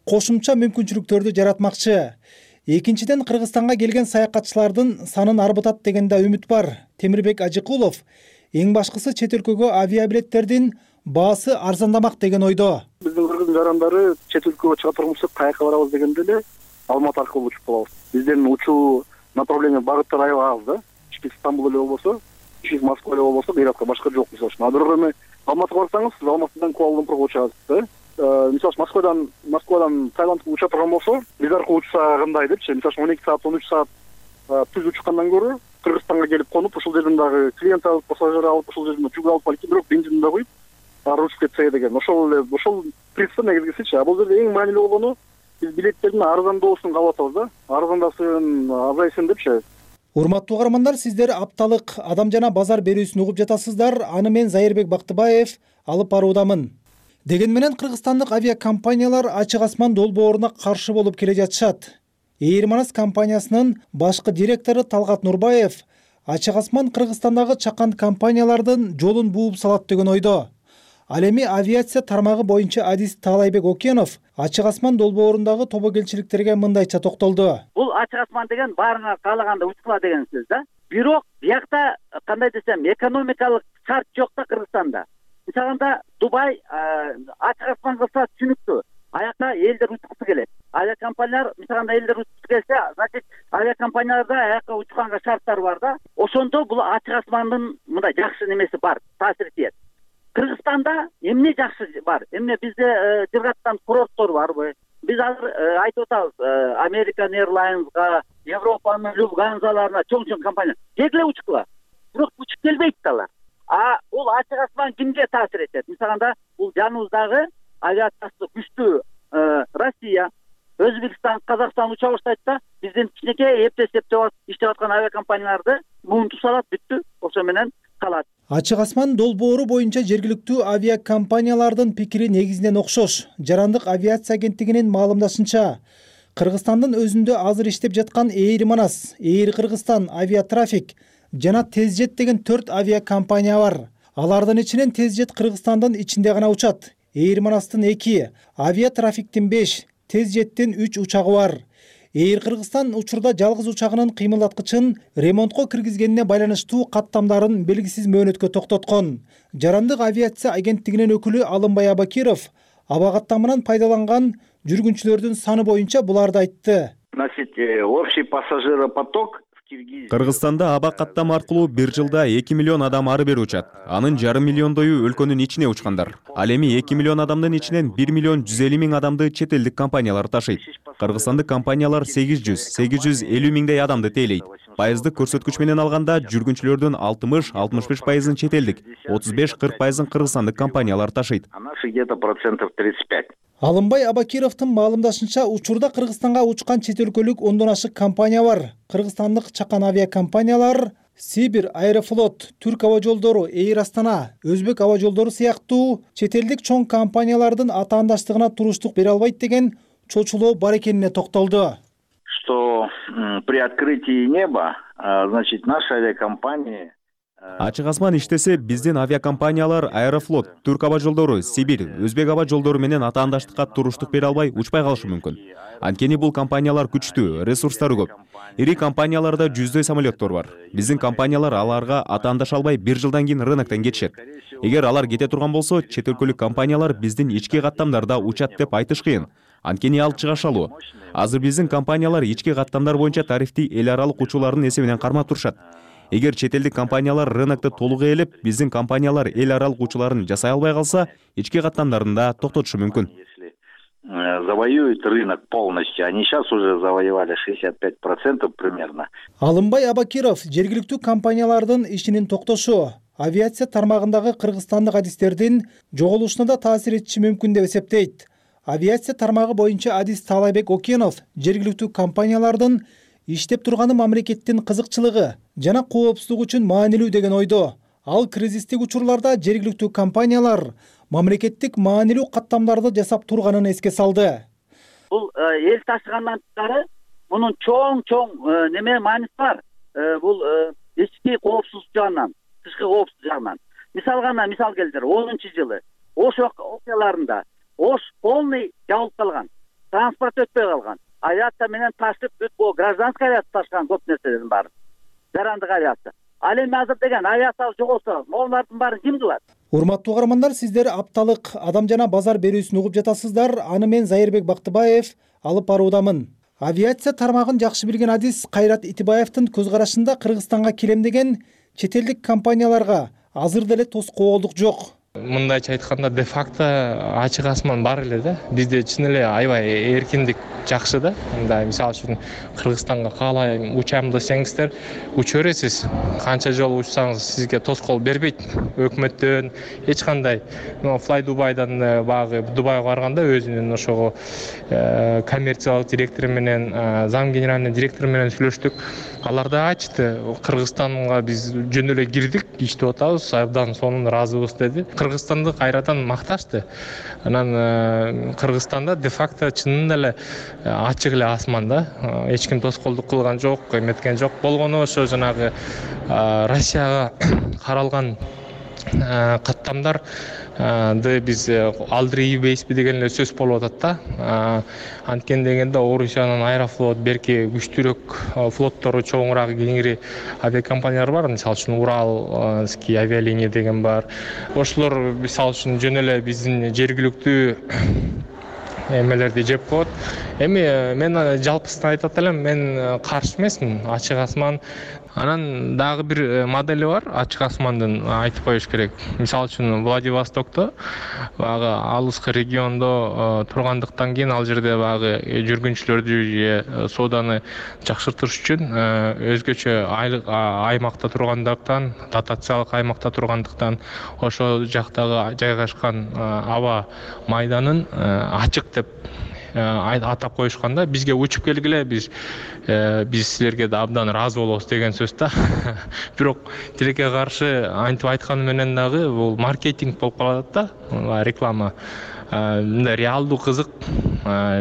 кошумча мүмкүнчүлүктөрдү жаратмакчы. Экинчиден Кыргызстанга келген саякатчылардын санын арбытат деген да үмүт бар. Темирбек Ажыкулов эң башкысы чет өлкөгө авиабилеттердин баасы арзандамак деген ойдо. Биздин кыргыз жарандары чет өлкөгө чыга турмусак каяка барабыз дегенде эле Алматы аркылуу учуп калабыз. Биздин учуу направление багыттар аябай аз да. Ички Стамбул эле болбосо, ички Москва эле болбосо, бирокко башка жок мисалы үчүн. А бирок эми Алматыга барсаңыз, сиз Алматыдан Куала-Лумпурга учасыз да. Мисалы үчүн Москвадан Москвадан Таиландка уча турган болсо, биз аркылуу учса кандай депчи, мисалы үчүн он эки саат, он үч саат түз учкандан көрө Кыргызстанга келип конуп, ушул жерден дагы клиент алып, пассажир алып, ушул жерден жүк алып балки бирок бензин да куюп, ары учуп кетсе деген. Ошол эле ошол принцип негизгисичи. А бул жерде эң маанилүү болгону биз билеттердин арзандоосун каалап атабыз да. Арзандасын, азайсын депчи. Урматтуу угармандар, сиздер апталык адам жана базар берүүсүн угуп жатасыздар. Аны мен Зайырбек Бактыбаев алып баруудамын. Деген менен кыргызстандык авиакомпаниялар ачык асман долбооруна каршы болуп келе жатышат. Эйр Манас компаниясынын башкы директору Талгат Нурбаев ачык асман Кыргызстандагы чакан компаниялардын жолун бууп салат деген ойдо. Ал эми авиация тармагы боюнча адис Таалайбек Окенов ачык асман долбоорундагы тобогелчиликтерге мындайча токтолду. Бул ачык асман деген баарыңар каалаганда учкула деген сөз да. Бирок биякта кандай десем, экономикалык шарт жок да Кыргызстанда. Мисалында Дубай ачык асман кылса түшүнүктүү. Аякта элдер учкусу келет. Авиакомпаниялар мисалында элдер учкусу келсе, значит авиакомпанияларда аякка учканга шарттар бар да. Ошондо бул ачык асмандын мындай жакшы немеси бар, таасири тиет. Кыргызстанда эмне жакшы бар? Эмне бизде жыргаттан курорттор барбы? Биз азыр айтып атабыз, American Airlines'га, Европанын Люфтгансаларына чоң-чоң компания келе учкула. Бирок учуп келбейт алар. А бул ачык асман кимге таасир этет? Мисалында бул жаныбыздагы авиациясы күчтүү Россия, Өзбекстан, Казакстан уча баштайт да, биздин кичинекей эптеп-эптеп иштеп аткан авиакомпанияларды муунтуп салат, бүттү. Ошо менен калат. Ачык асман долбоору боюнча жергиликтүү авиакомпаниялардын пикири негизинен окшош. Жарандык авиация агенттигинин маалымдашынча, Кыргызстандын өзүндө азыр иштеп жаткан Эйр Манас, Эйр Кыргызстан, Авиатрафик жана Тезжет деген төрт авиакомпания бар. Алардын ичинен Тезжет Кыргызстандын ичинде гана учат. Эйр Манастын эки, Авиатрафиктин беш, Тезжеттин үч учагы бар. Эйр Кыргызстан учурда жалгыз учагынын кыймылдаткычын ремонтко киргизгенине байланыштуу каттамдарын белгисиз мөөнөткө токтоткон. Жарандык авиация агенттигинин өкүлү Алымбай Абакиров аба каттамынан пайдаланган жүргүнчүлөрдүн саны боюнча буларды айтты. Значит, общий пассажиропоток Кыргызстанда аба каттама аркылуу бир жылда эки миллион адам ары бери учат. Анын жарым миллиондою өлкөнүн ичине учкандар. Ал эми эки миллион адамдын ичинен бир миллион жүз элүү миң адамды чет элдик компаниялар ташыйт. Кыргызстандык компаниялар сегиз жүз сегиз жүз элүү миңдей адамды тейлейт. Пайыздык көрсөткүч менен алганда жүргүнчүлөрдүн алтымыш алтымыш беш пайызын чет элдик, отуз беш кырк пайызын кыргызстандык компаниялар ташыйт. А наши где-то процентов тридцать пять. Алымбай Абакировдун маалымдашынча, учурда Кыргызстанга учкан чет өлкөлүк ондон ашык компания бар. Кыргызстандык чакан авиакомпаниялар Сибир, Аэрофлот, Түрк аба жолдору, Эйр Астана, Өзбек аба жолдору сыяктуу чет элдик чоң компаниялардын атаандаштыгына туруштук бере албайт деген чочулоо бар экенине токтолду. Что при открытии неба, значит, наши авиакомпании Ачык асман иштесе, биздин авиакомпаниялар Аэрофлот, Түрк аба жолдору, Сибир, Өзбек аба жолдору менен атаандаштыкка туруштук бере албай учпай калышы мүмкүн. Анткени бул компаниялар күчтүү, ресурстары көп. Ири компанияларда жүздөй самолеттор бар. Биздин компаниялар аларга атаандаша албай бир жылдан кийин рыноктон кетишет. Эгер алар кете турган болсо, чет өлкөлүк компаниялар биздин ички каттамдарда учат деп айтыш кыйын. Анткени ал чыгашалуу. Азыр биздин компаниялар ички каттамдар боюнча тарифти эл аралык учуулардын эсебинен кармап турушат. Эгер чет элдик компаниялар рынокто толук ээлеп, биздин компаниялар эл аралык учууларын жасай албай калса, ички каттамдарында токтотушу мүмкүн. Завоюют рынок полностью. Они сейчас уже завоевали шестьдесят пять процентов примерно. Алымбай Абакиров жергиликтүү компаниялардын ишинин токтошу авиация тармагындагы кыргызстандык адистердин жоголушуна да таасир этиши мүмкүн деп эсептейт. Авиация тармагы боюнча адис Таалайбек Окенов жергиликтүү компаниялардын иштеп турганы мамлекеттин кызыкчылыгы жана коопсуздугу үчүн маанилүү деген ойдо. Ал кризистик учурларда жергиликтүү компаниялар мамлекеттик маанилүү каттамдарды жасап турганын эске салды. Бул эл ташыгандан тышкары мунун чоң-чоң неме мааниси бар. Бул ички коопсуздук жагынан, тышкы коопсуздук жагынан. Мисал гана мисал келтир, онунчу жылы Ош окуяларында Ош полный жабылып калган, транспорт өтпөй калган. Авиация менен ташып бүт бул гражданский авиация ташкан көп нерселердин баары. Жарандык авиация. Ал эми азыр деген авиация жоголсо, могулардын баарын ким кылат? Урматтуу каармандар, сиздер апталык адам жана базар берүүсүн угуп жатасыздар. Аны мен Зайырбек Бактыбаев алып баруудамын. Авиация тармагын жакшы билген адис Кайрат Итибаевдин көз карашында Кыргызстанга келемдеген чет элдик компанияларга азыр деле тоскоолдук жок. Мындайча айтканда, де факто ачык асман бар эле да. Бизде чын эле аябай эркиндик жакшы да. Мындай мисалы үчүн Кыргызстанга каалайм учам десеңиздер, уча бересиз. Канча жолу учсаңыз сизге тоскоол бербейт. Өкмөттөн эч кандай. Fly Дубайдан багы Дубайга барганда өзүнүн ошого коммерциялык директору менен, зам генеральный директору менен сүйлөштүк. Алар да айтты, Кыргызстанга биз жөн эле кирдик, иштеп атабыз, абдан сонун ыраазыбыз деди. Кыргызстанды кайрадан макташты. Анан Кыргызстанда де факто чынында эле ачык эле асман да. Эч ким тоскоолдук кылган жок, эметкен жок. Болгону ошо жанагы Россияга каралган каттамдар биз алдырбейбизби деген эле сөз болуп атат да. Анткени дегенде Орусиянын Аэрофлот, берки күчтүүрөөк флоттору, чоңураак, кеңири авиакомпаниялар бар. Мисалы үчүн Уралский авиалиния деген бар. Ошолор мисалы үчүн жөн эле биздин жергиликтүү эмелерди жеп коет. Эми мен жалпысынан айтат элем, мен каршы эмесмин. Ачык асман. Анан дагы бир модели бар, ачык асмандын, айтып коюш керек. Мисалы үчүн Владивостокто багы алыскы региондо тургандыктан кийин ал жерде багы жүргүнчүлөрдү же сооданы жакшыртыш үчүн өзгөчө аймакта тургандыктан, дотациялык аймакта тургандыктан ошол жактагы жайгашкан аба майданын ачык деп атап коюшканда, бизге учуп келгиле, биз биз силерге да абдан ыраазы болобуз деген сөз да. Бирок тилекке каршы антип айтканы менен дагы бул маркетинг болуп калат да, реклама. Мындай реалдуу кызык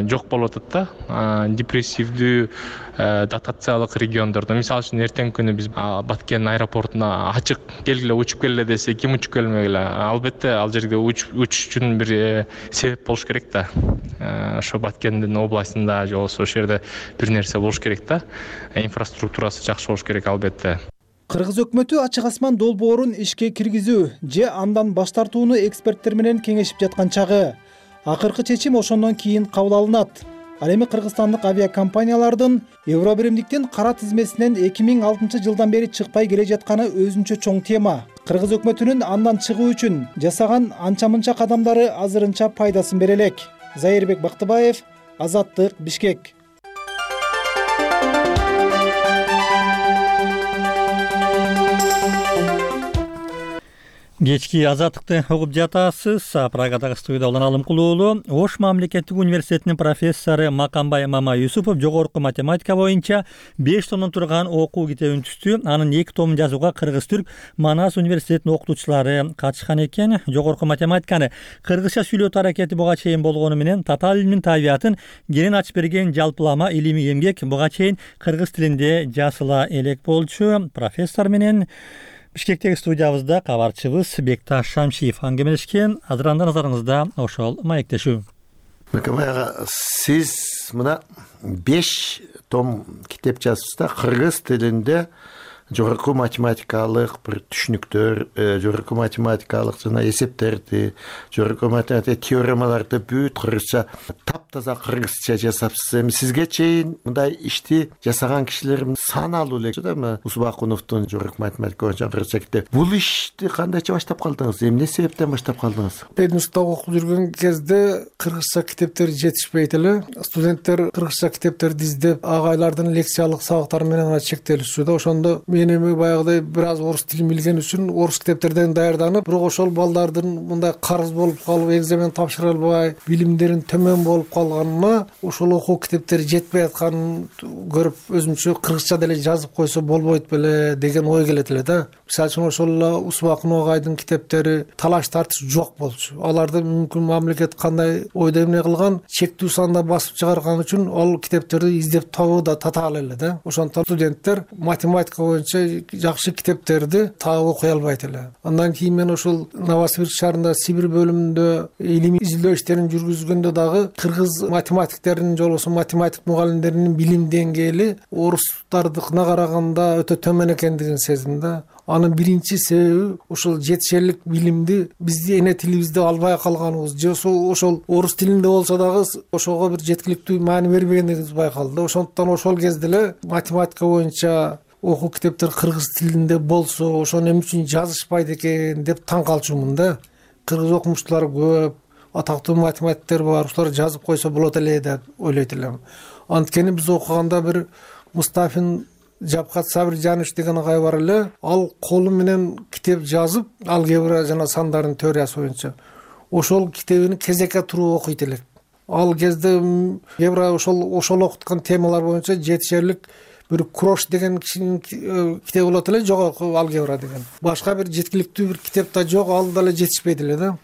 жок болуп атат да. Депрессивдүү дотациялык региондордо, мисалы үчүн эртең күнү биз Баткен аэропортуна ачык келгиле, учуп келгиле десе, ким учуп келмегиле? Албетте ал жерге учуш үчүн бир себеп болуш керек да. Ошо Баткендин областында же болбосо ошол жерде бир нерсе болуш керек да. Инфраструктурасы жакшы болуш керек албетте. Кыргыз өкмөтү ачык асман долбоорун ишке киргизүү же андан баш тартууну эксперттер менен кеңешип жаткан чагы. Акыркы чечим ошондон кийин кабыл алынат. Ал эми кыргызстандык авиакомпаниялардын Евро биримдиктин кара тизмесинен эки миң алтынчы жылдан бери чыкпай келе жатканы өзүнчө чоң тема. Кыргыз өкмөтүнүн андан чыгуу үчүн жасаган анча-мынча кадамдары азырынча пайдасын бере элек. Зайырбек Бактыбаев, Азаттык, Бишкек. Кечки Азаттыкты угуп жатасыз. Прагадагы студияда Улан Алымкулуулу. Ош мамлекеттик университетинин профессору Макамбай Мама Юсупов жогорку математика боюнча беш томдон турган окуу китебин түздү. Анын эки томун жазууга Кыргыз-Түрк Манас университетинин окутуучулары катышкан экен. Жогорку математиканы кыргызча сүйлөтүү аракети буга чейин болгону менен татаал илимдин табиятын кенен ачып берген жалпылама илимий эмгек буга чейин кыргыз тилинде жазыла элек болчу. Профессор менен Бишкектеги студиябызда кабарчыбыз Бекташ Шамшиев аңгемелешкен. Азыр анда назарыңызда ошол маектешүү. Макамай ага, сиз мына беш том китеп жазыпсыз да, кыргыз тилинде жогорку математикалык бир түшүнүктөр, жогорку математикалык жана эсептерди, жогорку математика теоремаларды бүт кыргызча, таптаза кыргызча жасапсыз. Эми сизге чейин мындай ишти жасаган кишилер саналуу эле да, Усбакуновдун жогорку математика боюнча кыргызча китеп. Бул ишти кандайча баштап калдыңыз? Эмне себептен баштап калдыңыз? Пединститутта окуп жүргөн кезде кыргызча китептер жетишпейт эле. Студенттер кыргызча китептерди издеп, агайлардын лекциялык сабактары менен гана чектелишчү да. Ошондо мен эми баягыдай бир аз орус тилин билген үчүн орус китептерден даярданып, бирок ошол балдардын мындай карыз болуп калып, экзамен тапшыра албай, билимдерин төмөн болуп калганына, ошол окуу китептери жетпей атканын көрүп, өзүмчө кыргызча деле жазып койсо болбойт беле деген ой келет эле да. Мисалы үчүн ошол эле Усбакунов агайдын китептери талаш тартыш жок болчу. Аларды мүмкүн мамлекет кандай ойдо эмне кылган, чектүү санда басып чыгарган үчүн ал китептерди издеп табуу да татаал эле да. Ошондон студенттер математика боюнча боюнча жакшы китептерди так окуй албайт эле. Андан кийин мен ошол Новосибирск шаарында Сибир бөлүмүндө илимий изилдөө иштерин жүргүзгөндө дагы кыргыз математиктеринин же болбосо математик мугалимдеринин билим деңгээли орустардыкына караганда өтө төмөн экендигин сездим да. Анын биринчи себеби ошол жетишерлик билимди биздин эне тилибизде албай калганыбыз же ошол орус тилинде болсо дагы ошого бир жеткиликтүү маани бербегендигибиз байкалды. Ошондуктан ошол кезде эле математика боюнча окуу китептер кыргыз тилинде болсо ошону эмне үчүн жазышпайт экен деп таң калчумун да. Кыргыз окумуштуулар көп, атактуу математиктер бар, ушулар жазып койсо болот эле деп ойлойт элем. Анткени биз окуганда бир Мустафин Жапкат Сабиржанович деген агай бар эле, ал колу менен китеп жазып, алгебра жана сандардын теориясы боюнча ошол китебин кезекке туруп окуйт элек. Ал кезде алгебра ошол ошол окуткан темалар боюнча жетишерлик бир Крош деген кишинин китеби болот эле, жогорку алгебра деген. Башка бир жеткиликтүү бир китеп да жок, ал дагы жетишпейт эле да.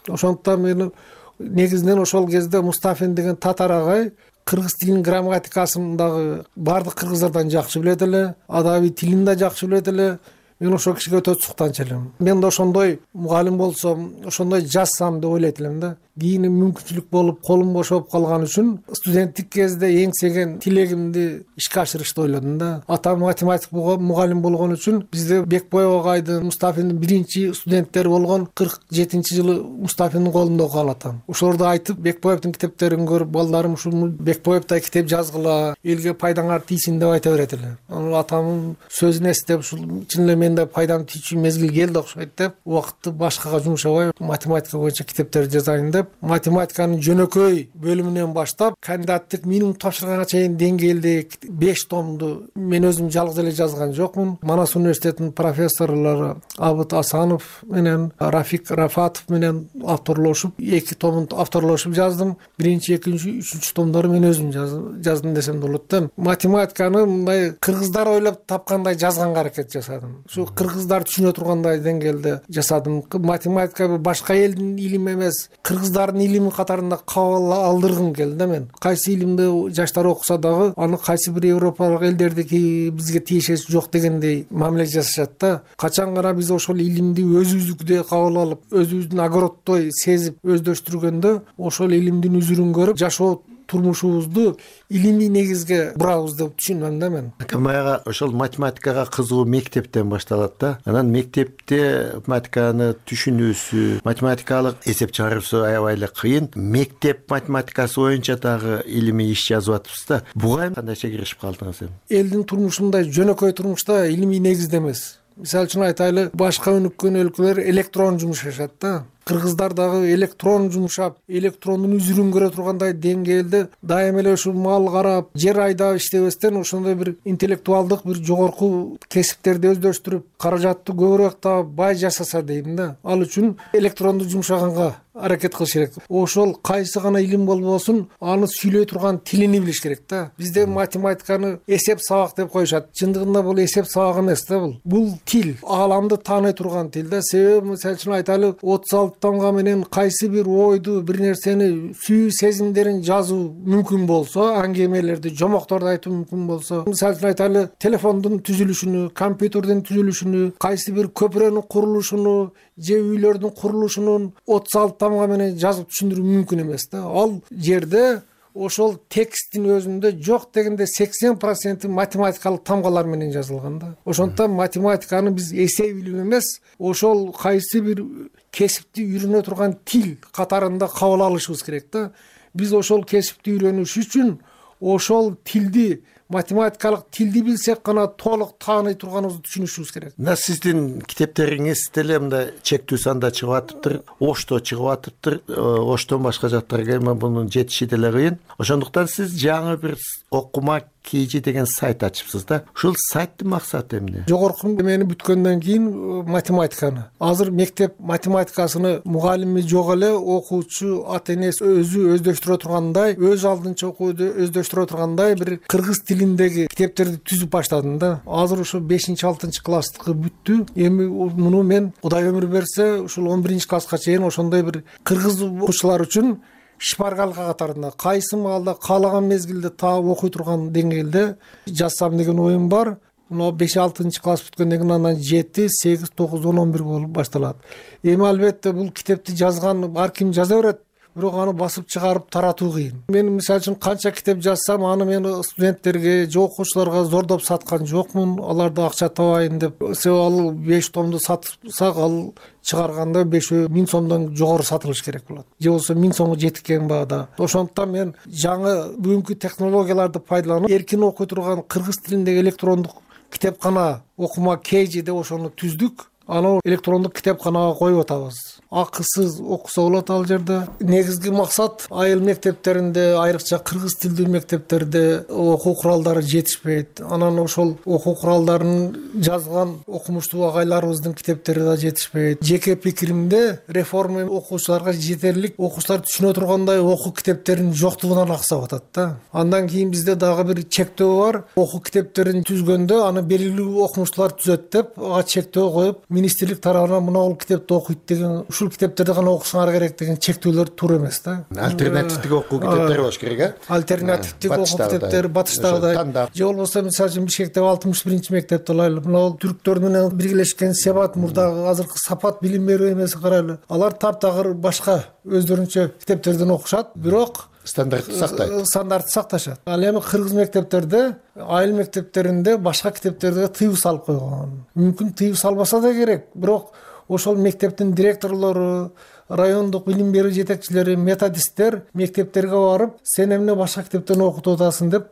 Ошондуктан мен негизинен ошол кезде Мустафин деген татар агай кыргыз тилинин грамматикасын дагы баардык кыргыздардан жакшы билет эле, адабий тилин да жакшы билет эле. Мен ошол кишиге өтө суктанчу элем. Мен да ошондой мугалим болсом, ошондой жазсам деп ойлойт элем да. Кийин мүмкүнчүлүк болуп, колум бошоп калган үчүн студенттик кезде эңсеген тилегимди ишке ашырышты ойлодум да. Атам математик мугалим болгон үчүн бизде Бекбоев агайдын, Мустафиндин биринчи студенттери болгон кырк жетинчи жылы Мустафиндин колунда окуган атам. Ошолорду айтып, Бекбоевдин китептерин көрүп, балдарым ушул Бекбоевдай китеп жазгыла, элге пайдаңар тийсин деп айта берет эле. Анан атамдын сөзүн эстеп, ушул чын эле менде пайдам тийчү мезгил келди окшойт деп, убакытты башкага жумшабай математика боюнча китептер жазайын деп, математиканын жөнөкөй бөлүмүнөн баштап кандидаттык минимум тапшырганга чейин деңгээлде беш томду мен өзүм жалгыз эле жазган жокмун. Манас университетинин профессорлору Абыт Асанов менен Рафик Рафатов менен авторлошуп эки томун авторлошуп жаздым. Биринчи, экинчи, үчүнчү томдорду мен өзүм жаздым десем болот да. Математиканы мындай кыргыздар ойлоп тапкандай жазганга аракет жасадым. Ушу кыргыздар түшүнө тургандай деңгээлде жасадым. Математика башка элдин илими эмес, кыргыздардын илими катарында кабыл алдыргым келди да мен. Кайсы илимди жаштар окуса дагы, аны кайсы бир европалык элдердики бизге тиешеси жок дегендей мамиле жасашат да. Качан гана биз ошол илимди өзүбүздүкүдөй кабыл алып, өзүбүздүн огороддой сезип өздөштүргөндө, ошол илимдин үзүрүн көрүп жашоо турмушубузду илимий негизге бурабыз деп түшүнөм да мен. Камаяга ошол математикага кызыгуу мектептен башталат да. Анан мектепте математиканы түшүнүүсү, математикалык эсеп чыгаруусу аябай эле кыйын. Мектеп математикасы боюнча дагы илимий иш жазып атыпсыз да. Буга кандайча киришип калдыңыз эми? Элдин турмушундай жөнөкөй турмушта илимий негизде эмес. Мисалы үчүн айтайлы, башка өнүккөн өлкөлөр электрон жумушашат да. Кыргыздар дагы электрон жумушап, электрондун үзүрүн көрө тургандай деңгээлде дайыма эле ушу мал карап, жер айдап иштебестен ошондой бир интеллектуалдык бир жогорку кесиптерди өздөштүрүп, каражатты көбүрөөк таап, бай жашаса дейм да. Ал үчүн электронду жумшаганга аракет кылыш керек. Ошол кайсы гана илим болбосун, аны сүйлөй турган тилини билиш керек да. Бизде математиканы эсеп сабак деп коюшат. Чындыгында бул эсеп сабак эмес да бул. Бул тил, ааламды тааный турган тил да. Себеби мисалы үчүн айтайлы, отуз алты томго менен кайсы бир ойду, бир нерсени, сүйүү сезимдерин жазуу мүмкүн болсо, аңгемелерди, жомокторду айтуу мүмкүн болсо, мисалы үчүн айтайлы, телефондун түзүлүшүнү, компьютердин түзүлүшүнү, кайсы бир көпүрөнүн курулушуну же үйлөрдүн курулушунун отуз алты томго менен жазып түшүндүрүү мүмкүн эмес да. Ал жерде ошол тексттин өзүндө жок дегенде сексен проценти математикалык тамгалар менен жазылган да. Ошондуктан математиканы биз эсеп илим эмес, ошол кайсы бир кесипти үйрөнө турган тил катарында кабыл алышыбыз керек да. Биз ошол кесипти үйрөнүш үчүн ошол тилди, математикалык тилди билсек гана толук тааный турганыбызды түшүнүшүбүз керек. Мына сиздин китептериңиз деле мындай чектүү санда чыгып атыптыр, Ошто чыгып атыптыр. Оштон башка жактарга эми мунун жетиши деле кыйын. Ошондуктан сиз жаңы бир окума кейжи деген сайт ачыпсыз да. Ушул сайттын максаты эмне? Жогорку эмени бүткөндөн кийин математиканы. Азыр мектеп математикасыны мугалими жок эле, окуучу, ата энеси өзү өздөштүрө тургандай, өз алдынча окууду өздөштүрө тургандай бир кыргыз тилиндеги китептерди түзүп баштадым да. Азыр ушу бешинчи алтынчы класстыкы бүттү. Эми муну мен Кудай өмүр берсе, ушул он биринчи класска чейин ошондой бир кыргыз окуучулар үчүн шпаргалка катарында кайсы маалда каалаган мезгилде таап окуй турган деңгээлде жазсам деген оюм бар. мына беш алтынчы класс бүткөндөн кийин анан жети сегиз тогуз он он бир болуп башталат. Эми албетте бул китепти жазган ар ким жаза берет, бирок аны басып чыгарып таратуу кыйын. Мен мисалы үчүн канча китеп жазсам, аны мен студенттерге же окуучуларга зордоп саткан жокмун, аларды акча табайын деп. Себеби ал беш томду сатсак, ал чыгарганда бешөө миң сомдон жогору сатылыш керек болот. Же болбосо миң сомго жеткен баада. Ошондуктан мен жаңы бүгүнкү технологияларды пайдаланып, эркин окуй турган кыргыз тилиндеги электрондук китепкана окума кейжи деп ошону түздүк. Аны электрондук китепканага коюп атабыз. Акысыз окуса болот ал жерде. Негизги максат айыл мектептеринде, айрыкча кыргыз тилдүү мектептерде окуу куралдары жетишпейт. Анан ошол окуу куралдарын жазган окумуштуу агайларыбыздын китептери да жетишпейт. Жеке пикиримде реформа окуучуларга жетерлик, окуучулар түшүнө тургандай окуу китептеринин жоктугунан аксап атат да. Андан кийин бизде дагы бир чектөө бар. Окуу китептерин түзгөндө аны белгилүү окумуштуулар түзөт деп, ага чектөө коюп, министрлик тарабынан мына бул китепти окуйт деген, ушул китептерди гана окусаңар керек деген чектөөлөр туура эмес да. Альтернативдик окуу китептери болуш керек, э? Альтернативдик окуу китептери батыштагыдай. Же болбосо мисалы үчүн Бишкектеги алтымыш биринчи мектепти алайлы. Мына бул түрктөр менен биргелешкен Себат мурдагы азыркы Сапат билим берүү эмеси карайлы. Алар таптагыр башка өздөрүнчө китептерден окушат, бирок стандартты сактайт. Стандартты сакташат. Ал эми кыргыз мектептерде, айыл мектептеринде башка китептерге тыюу салып койгон. Мүмкүн тыюу салбаса да керек, бирок ошол мектептин директорлору, райондук билим берүү жетекчилери, методисттер мектептерге барып, сен эмне башка китептен окутуп атасың деп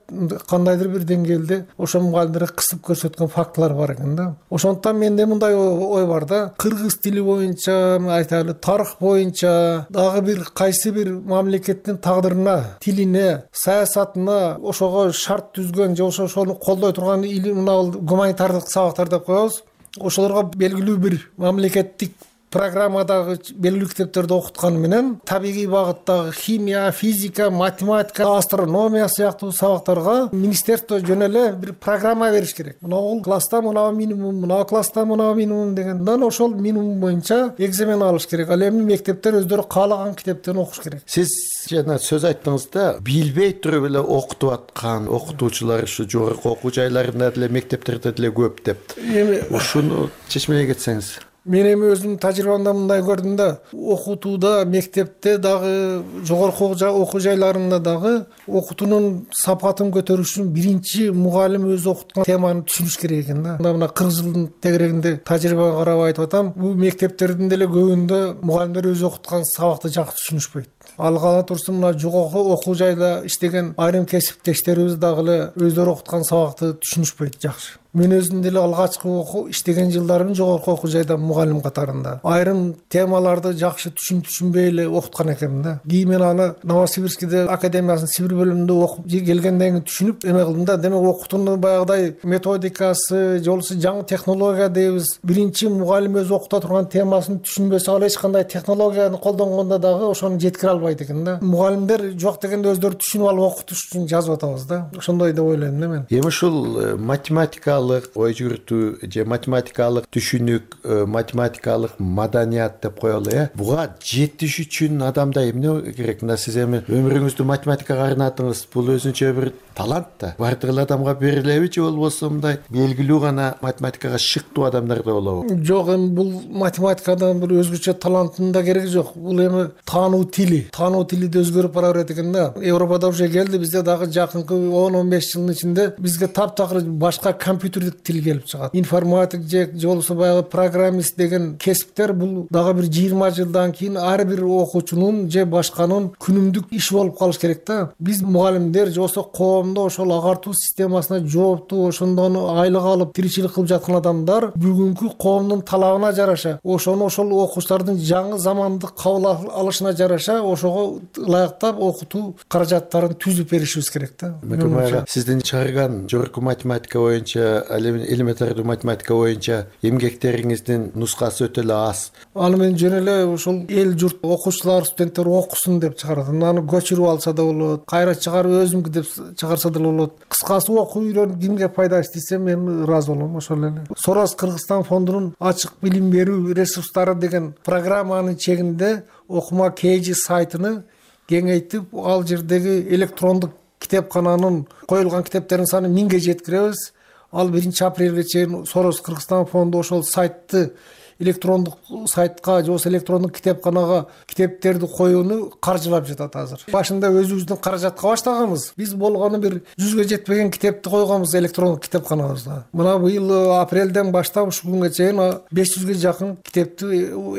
кандайдыр бир деңгээлде ошо мугалимдерге кысып көрсөткөн фактылар бар экен да. Ошондуктан менде мындай ой бар да, кыргыз тили боюнча, айтайлы, тарых боюнча дагы бир кайсы бир мамлекеттин тагдырына, тилине, саясатына ошого шарт түзгөн же ошону колдой турган мына гуманитардык сабактар деп коебуз. Ошолорго белгилүү бир мамлекеттик программадагы белгилүү китептерди окуткан менен табигый багыттагы химия, физика, математика, астрономия сыяктуу сабактарга министерство жөн эле бир программа бериш керек. Мына бул класста мына минимум, мына класста мына минимум дегенден ошол минимум боюнча экзамен алыш керек. Ал эми мектептер өздөрү каалаган китептен окуш керек. Сиз жана сөз айттыңыз да, билбей туруп эле окутуп аткан окутуучулар ушу жогорку окуу жайларында деле, мектептерде деле көп деп. Эми ушуну чечмелей кетсеңиз. Мен эми өзүмдүн тажрыйбамда мындай көрдүм да, окутууда, мектепте дагы, жогорку окуу жайларында дагы окутуунун сапатын көтөрүш үчүн биринчи мугалим өзү окуткан теманы түшүнүш керек экен да. Мына кырк жылдын тегерегинде тажрыйбага карап айтып атам, бул мектептердин деле көбүндө мугалимдер өзү окуткан сабакты жакшы түшүнүшпөйт. Ал кала турсун мына жогорку окуу жайда иштеген айрым кесиптештерибиз дагы эле өздөрү окуткан сабакты түшүнүшпөйт жакшы. Мен өзүм деле алгачкы окуу иштеген жылдарым жогорку окуу жайда мугалим катарында. Айрым темаларды жакшы түшүн түшүнбөй эле окуткан экенмин да. Кийин мен аны Новосибирскийде академиясынын Сибир бөлүмүндө окуп келгенден кийин түшүнүп эме кылдым да. Демек окутуунун баягыдай методикасы, же болбосо жаңы технология дейбиз. Биринчи мугалим өзү окута турган темасын түшүнбөсө, ал эч кандай технологияны колдонгондо дагы ошону жеткире албайт экен да. Мугалимдер жок дегенде өздөрү түшүнүп алып окутуш үчүн жазып атабыз да. Ошондой деп ойлойм да мен. Эми ушул математика ой жүгүртүү же математикалык түшүнүк, математикалык маданият деп коелу, э? Буга жетиш үчүн адамда эмне керек? Мына сиз эми өмүрүңүздү математикага арнадыңыз. Бул өзүнчө бир талант да. Бардык эле адамга берилеби же болбосо мындай белгилүү гана математикага шыктуу адамдарда болобу? Жок, эми бул математикадан бир өзгөчө таланттын да кереги жок. Бул эми таануу тили, таануу тили да өзгөрүп бара берет экен да. Европада уже келди, бизде дагы жакынкы он он беш жылдын ичинде бизге таптакыр башка компьютердик тил келип чыгат. Информатик же же болбосо баягы программист деген кесиптер бул дагы бир жыйырма жылдан кийин ар бир окуучунун же башканын күнүмдүк иши болуп калыш керек да. Биз мугалимдер же болбосо коомдо ошол агартуу системасына жооптуу, ошондон айлык алып тиричилик кылып жаткан адамдар бүгүнкү коомдун талабына жараша, ошону ошол окуучулардын жаңы замандык кабыл алышына жараша ошого ылайыктап окутуу каражаттарын түзүп беришибиз керек да. Сиздин чыгарган жогорку математика боюнча, элементардуу математика боюнча эмгектериңиздин нускасы өтө эле аз. Аны мен жөн эле ошол эл журт окуучулар, студенттер окусын деп чыгардым. Аны көчүрүп алса да болот, кайра чыгарып өзүмдүкү деп чыгарса да болот. Кыскасы окуу үйрөнүп кимге пайдасы тийсе мен ыраазы болом. Ошол эле. Сорос Кыргызстан фондунун ачык билим берүү ресурстары деген программанын чегинде окума кейжи сайтыны кеңейтип, ал жердеги электрондук китепкананын коюлган китептердин саны миңге жеткиребиз. ал биринчи апрелге чейин Сорос Кыргызстан фонду ошол сайтты электрондук сайтка же болбосо электрондук китепканага китептерди коюуну каржылап жатат азыр. Башында өзүбүздүн каражатка баштаганбыз. Биз болгону бир жүзгө жетпеген китепти койгонбуз электрондук китепканабызда. Мына быйыл апрелден баштап ушул күнгө чейин беш жүзгө жакын китепти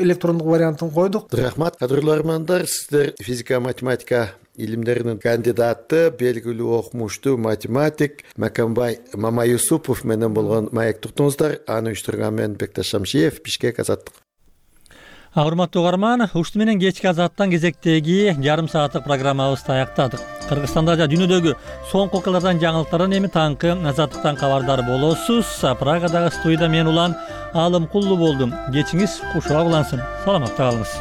электрондук вариантын койдук. Рахмат, кадырлуу армандар, сиздер физика математика илимдеринин кандидаты, белгилүү окумуштуу математик Макамбай Мамаюсупов менен болгон маек туттуңуздар. Аны уюштурган мен Бекташ Шамшиев, Бишкек, Азаттык. Урматтуу угарман, ушуну менен кечки Азаттан кезектеги жарым сааттык программабызды аяктадык. Кыргызстанда жана дүйнөдөгү соңку окуялардан жаңылыктардан эми таңкы Азаттыктан кабардар болосуз. Прагадагы студияда мен улан Алымкулду болдум. Кечиңиз кушула улансын. Саламатта калыңыз.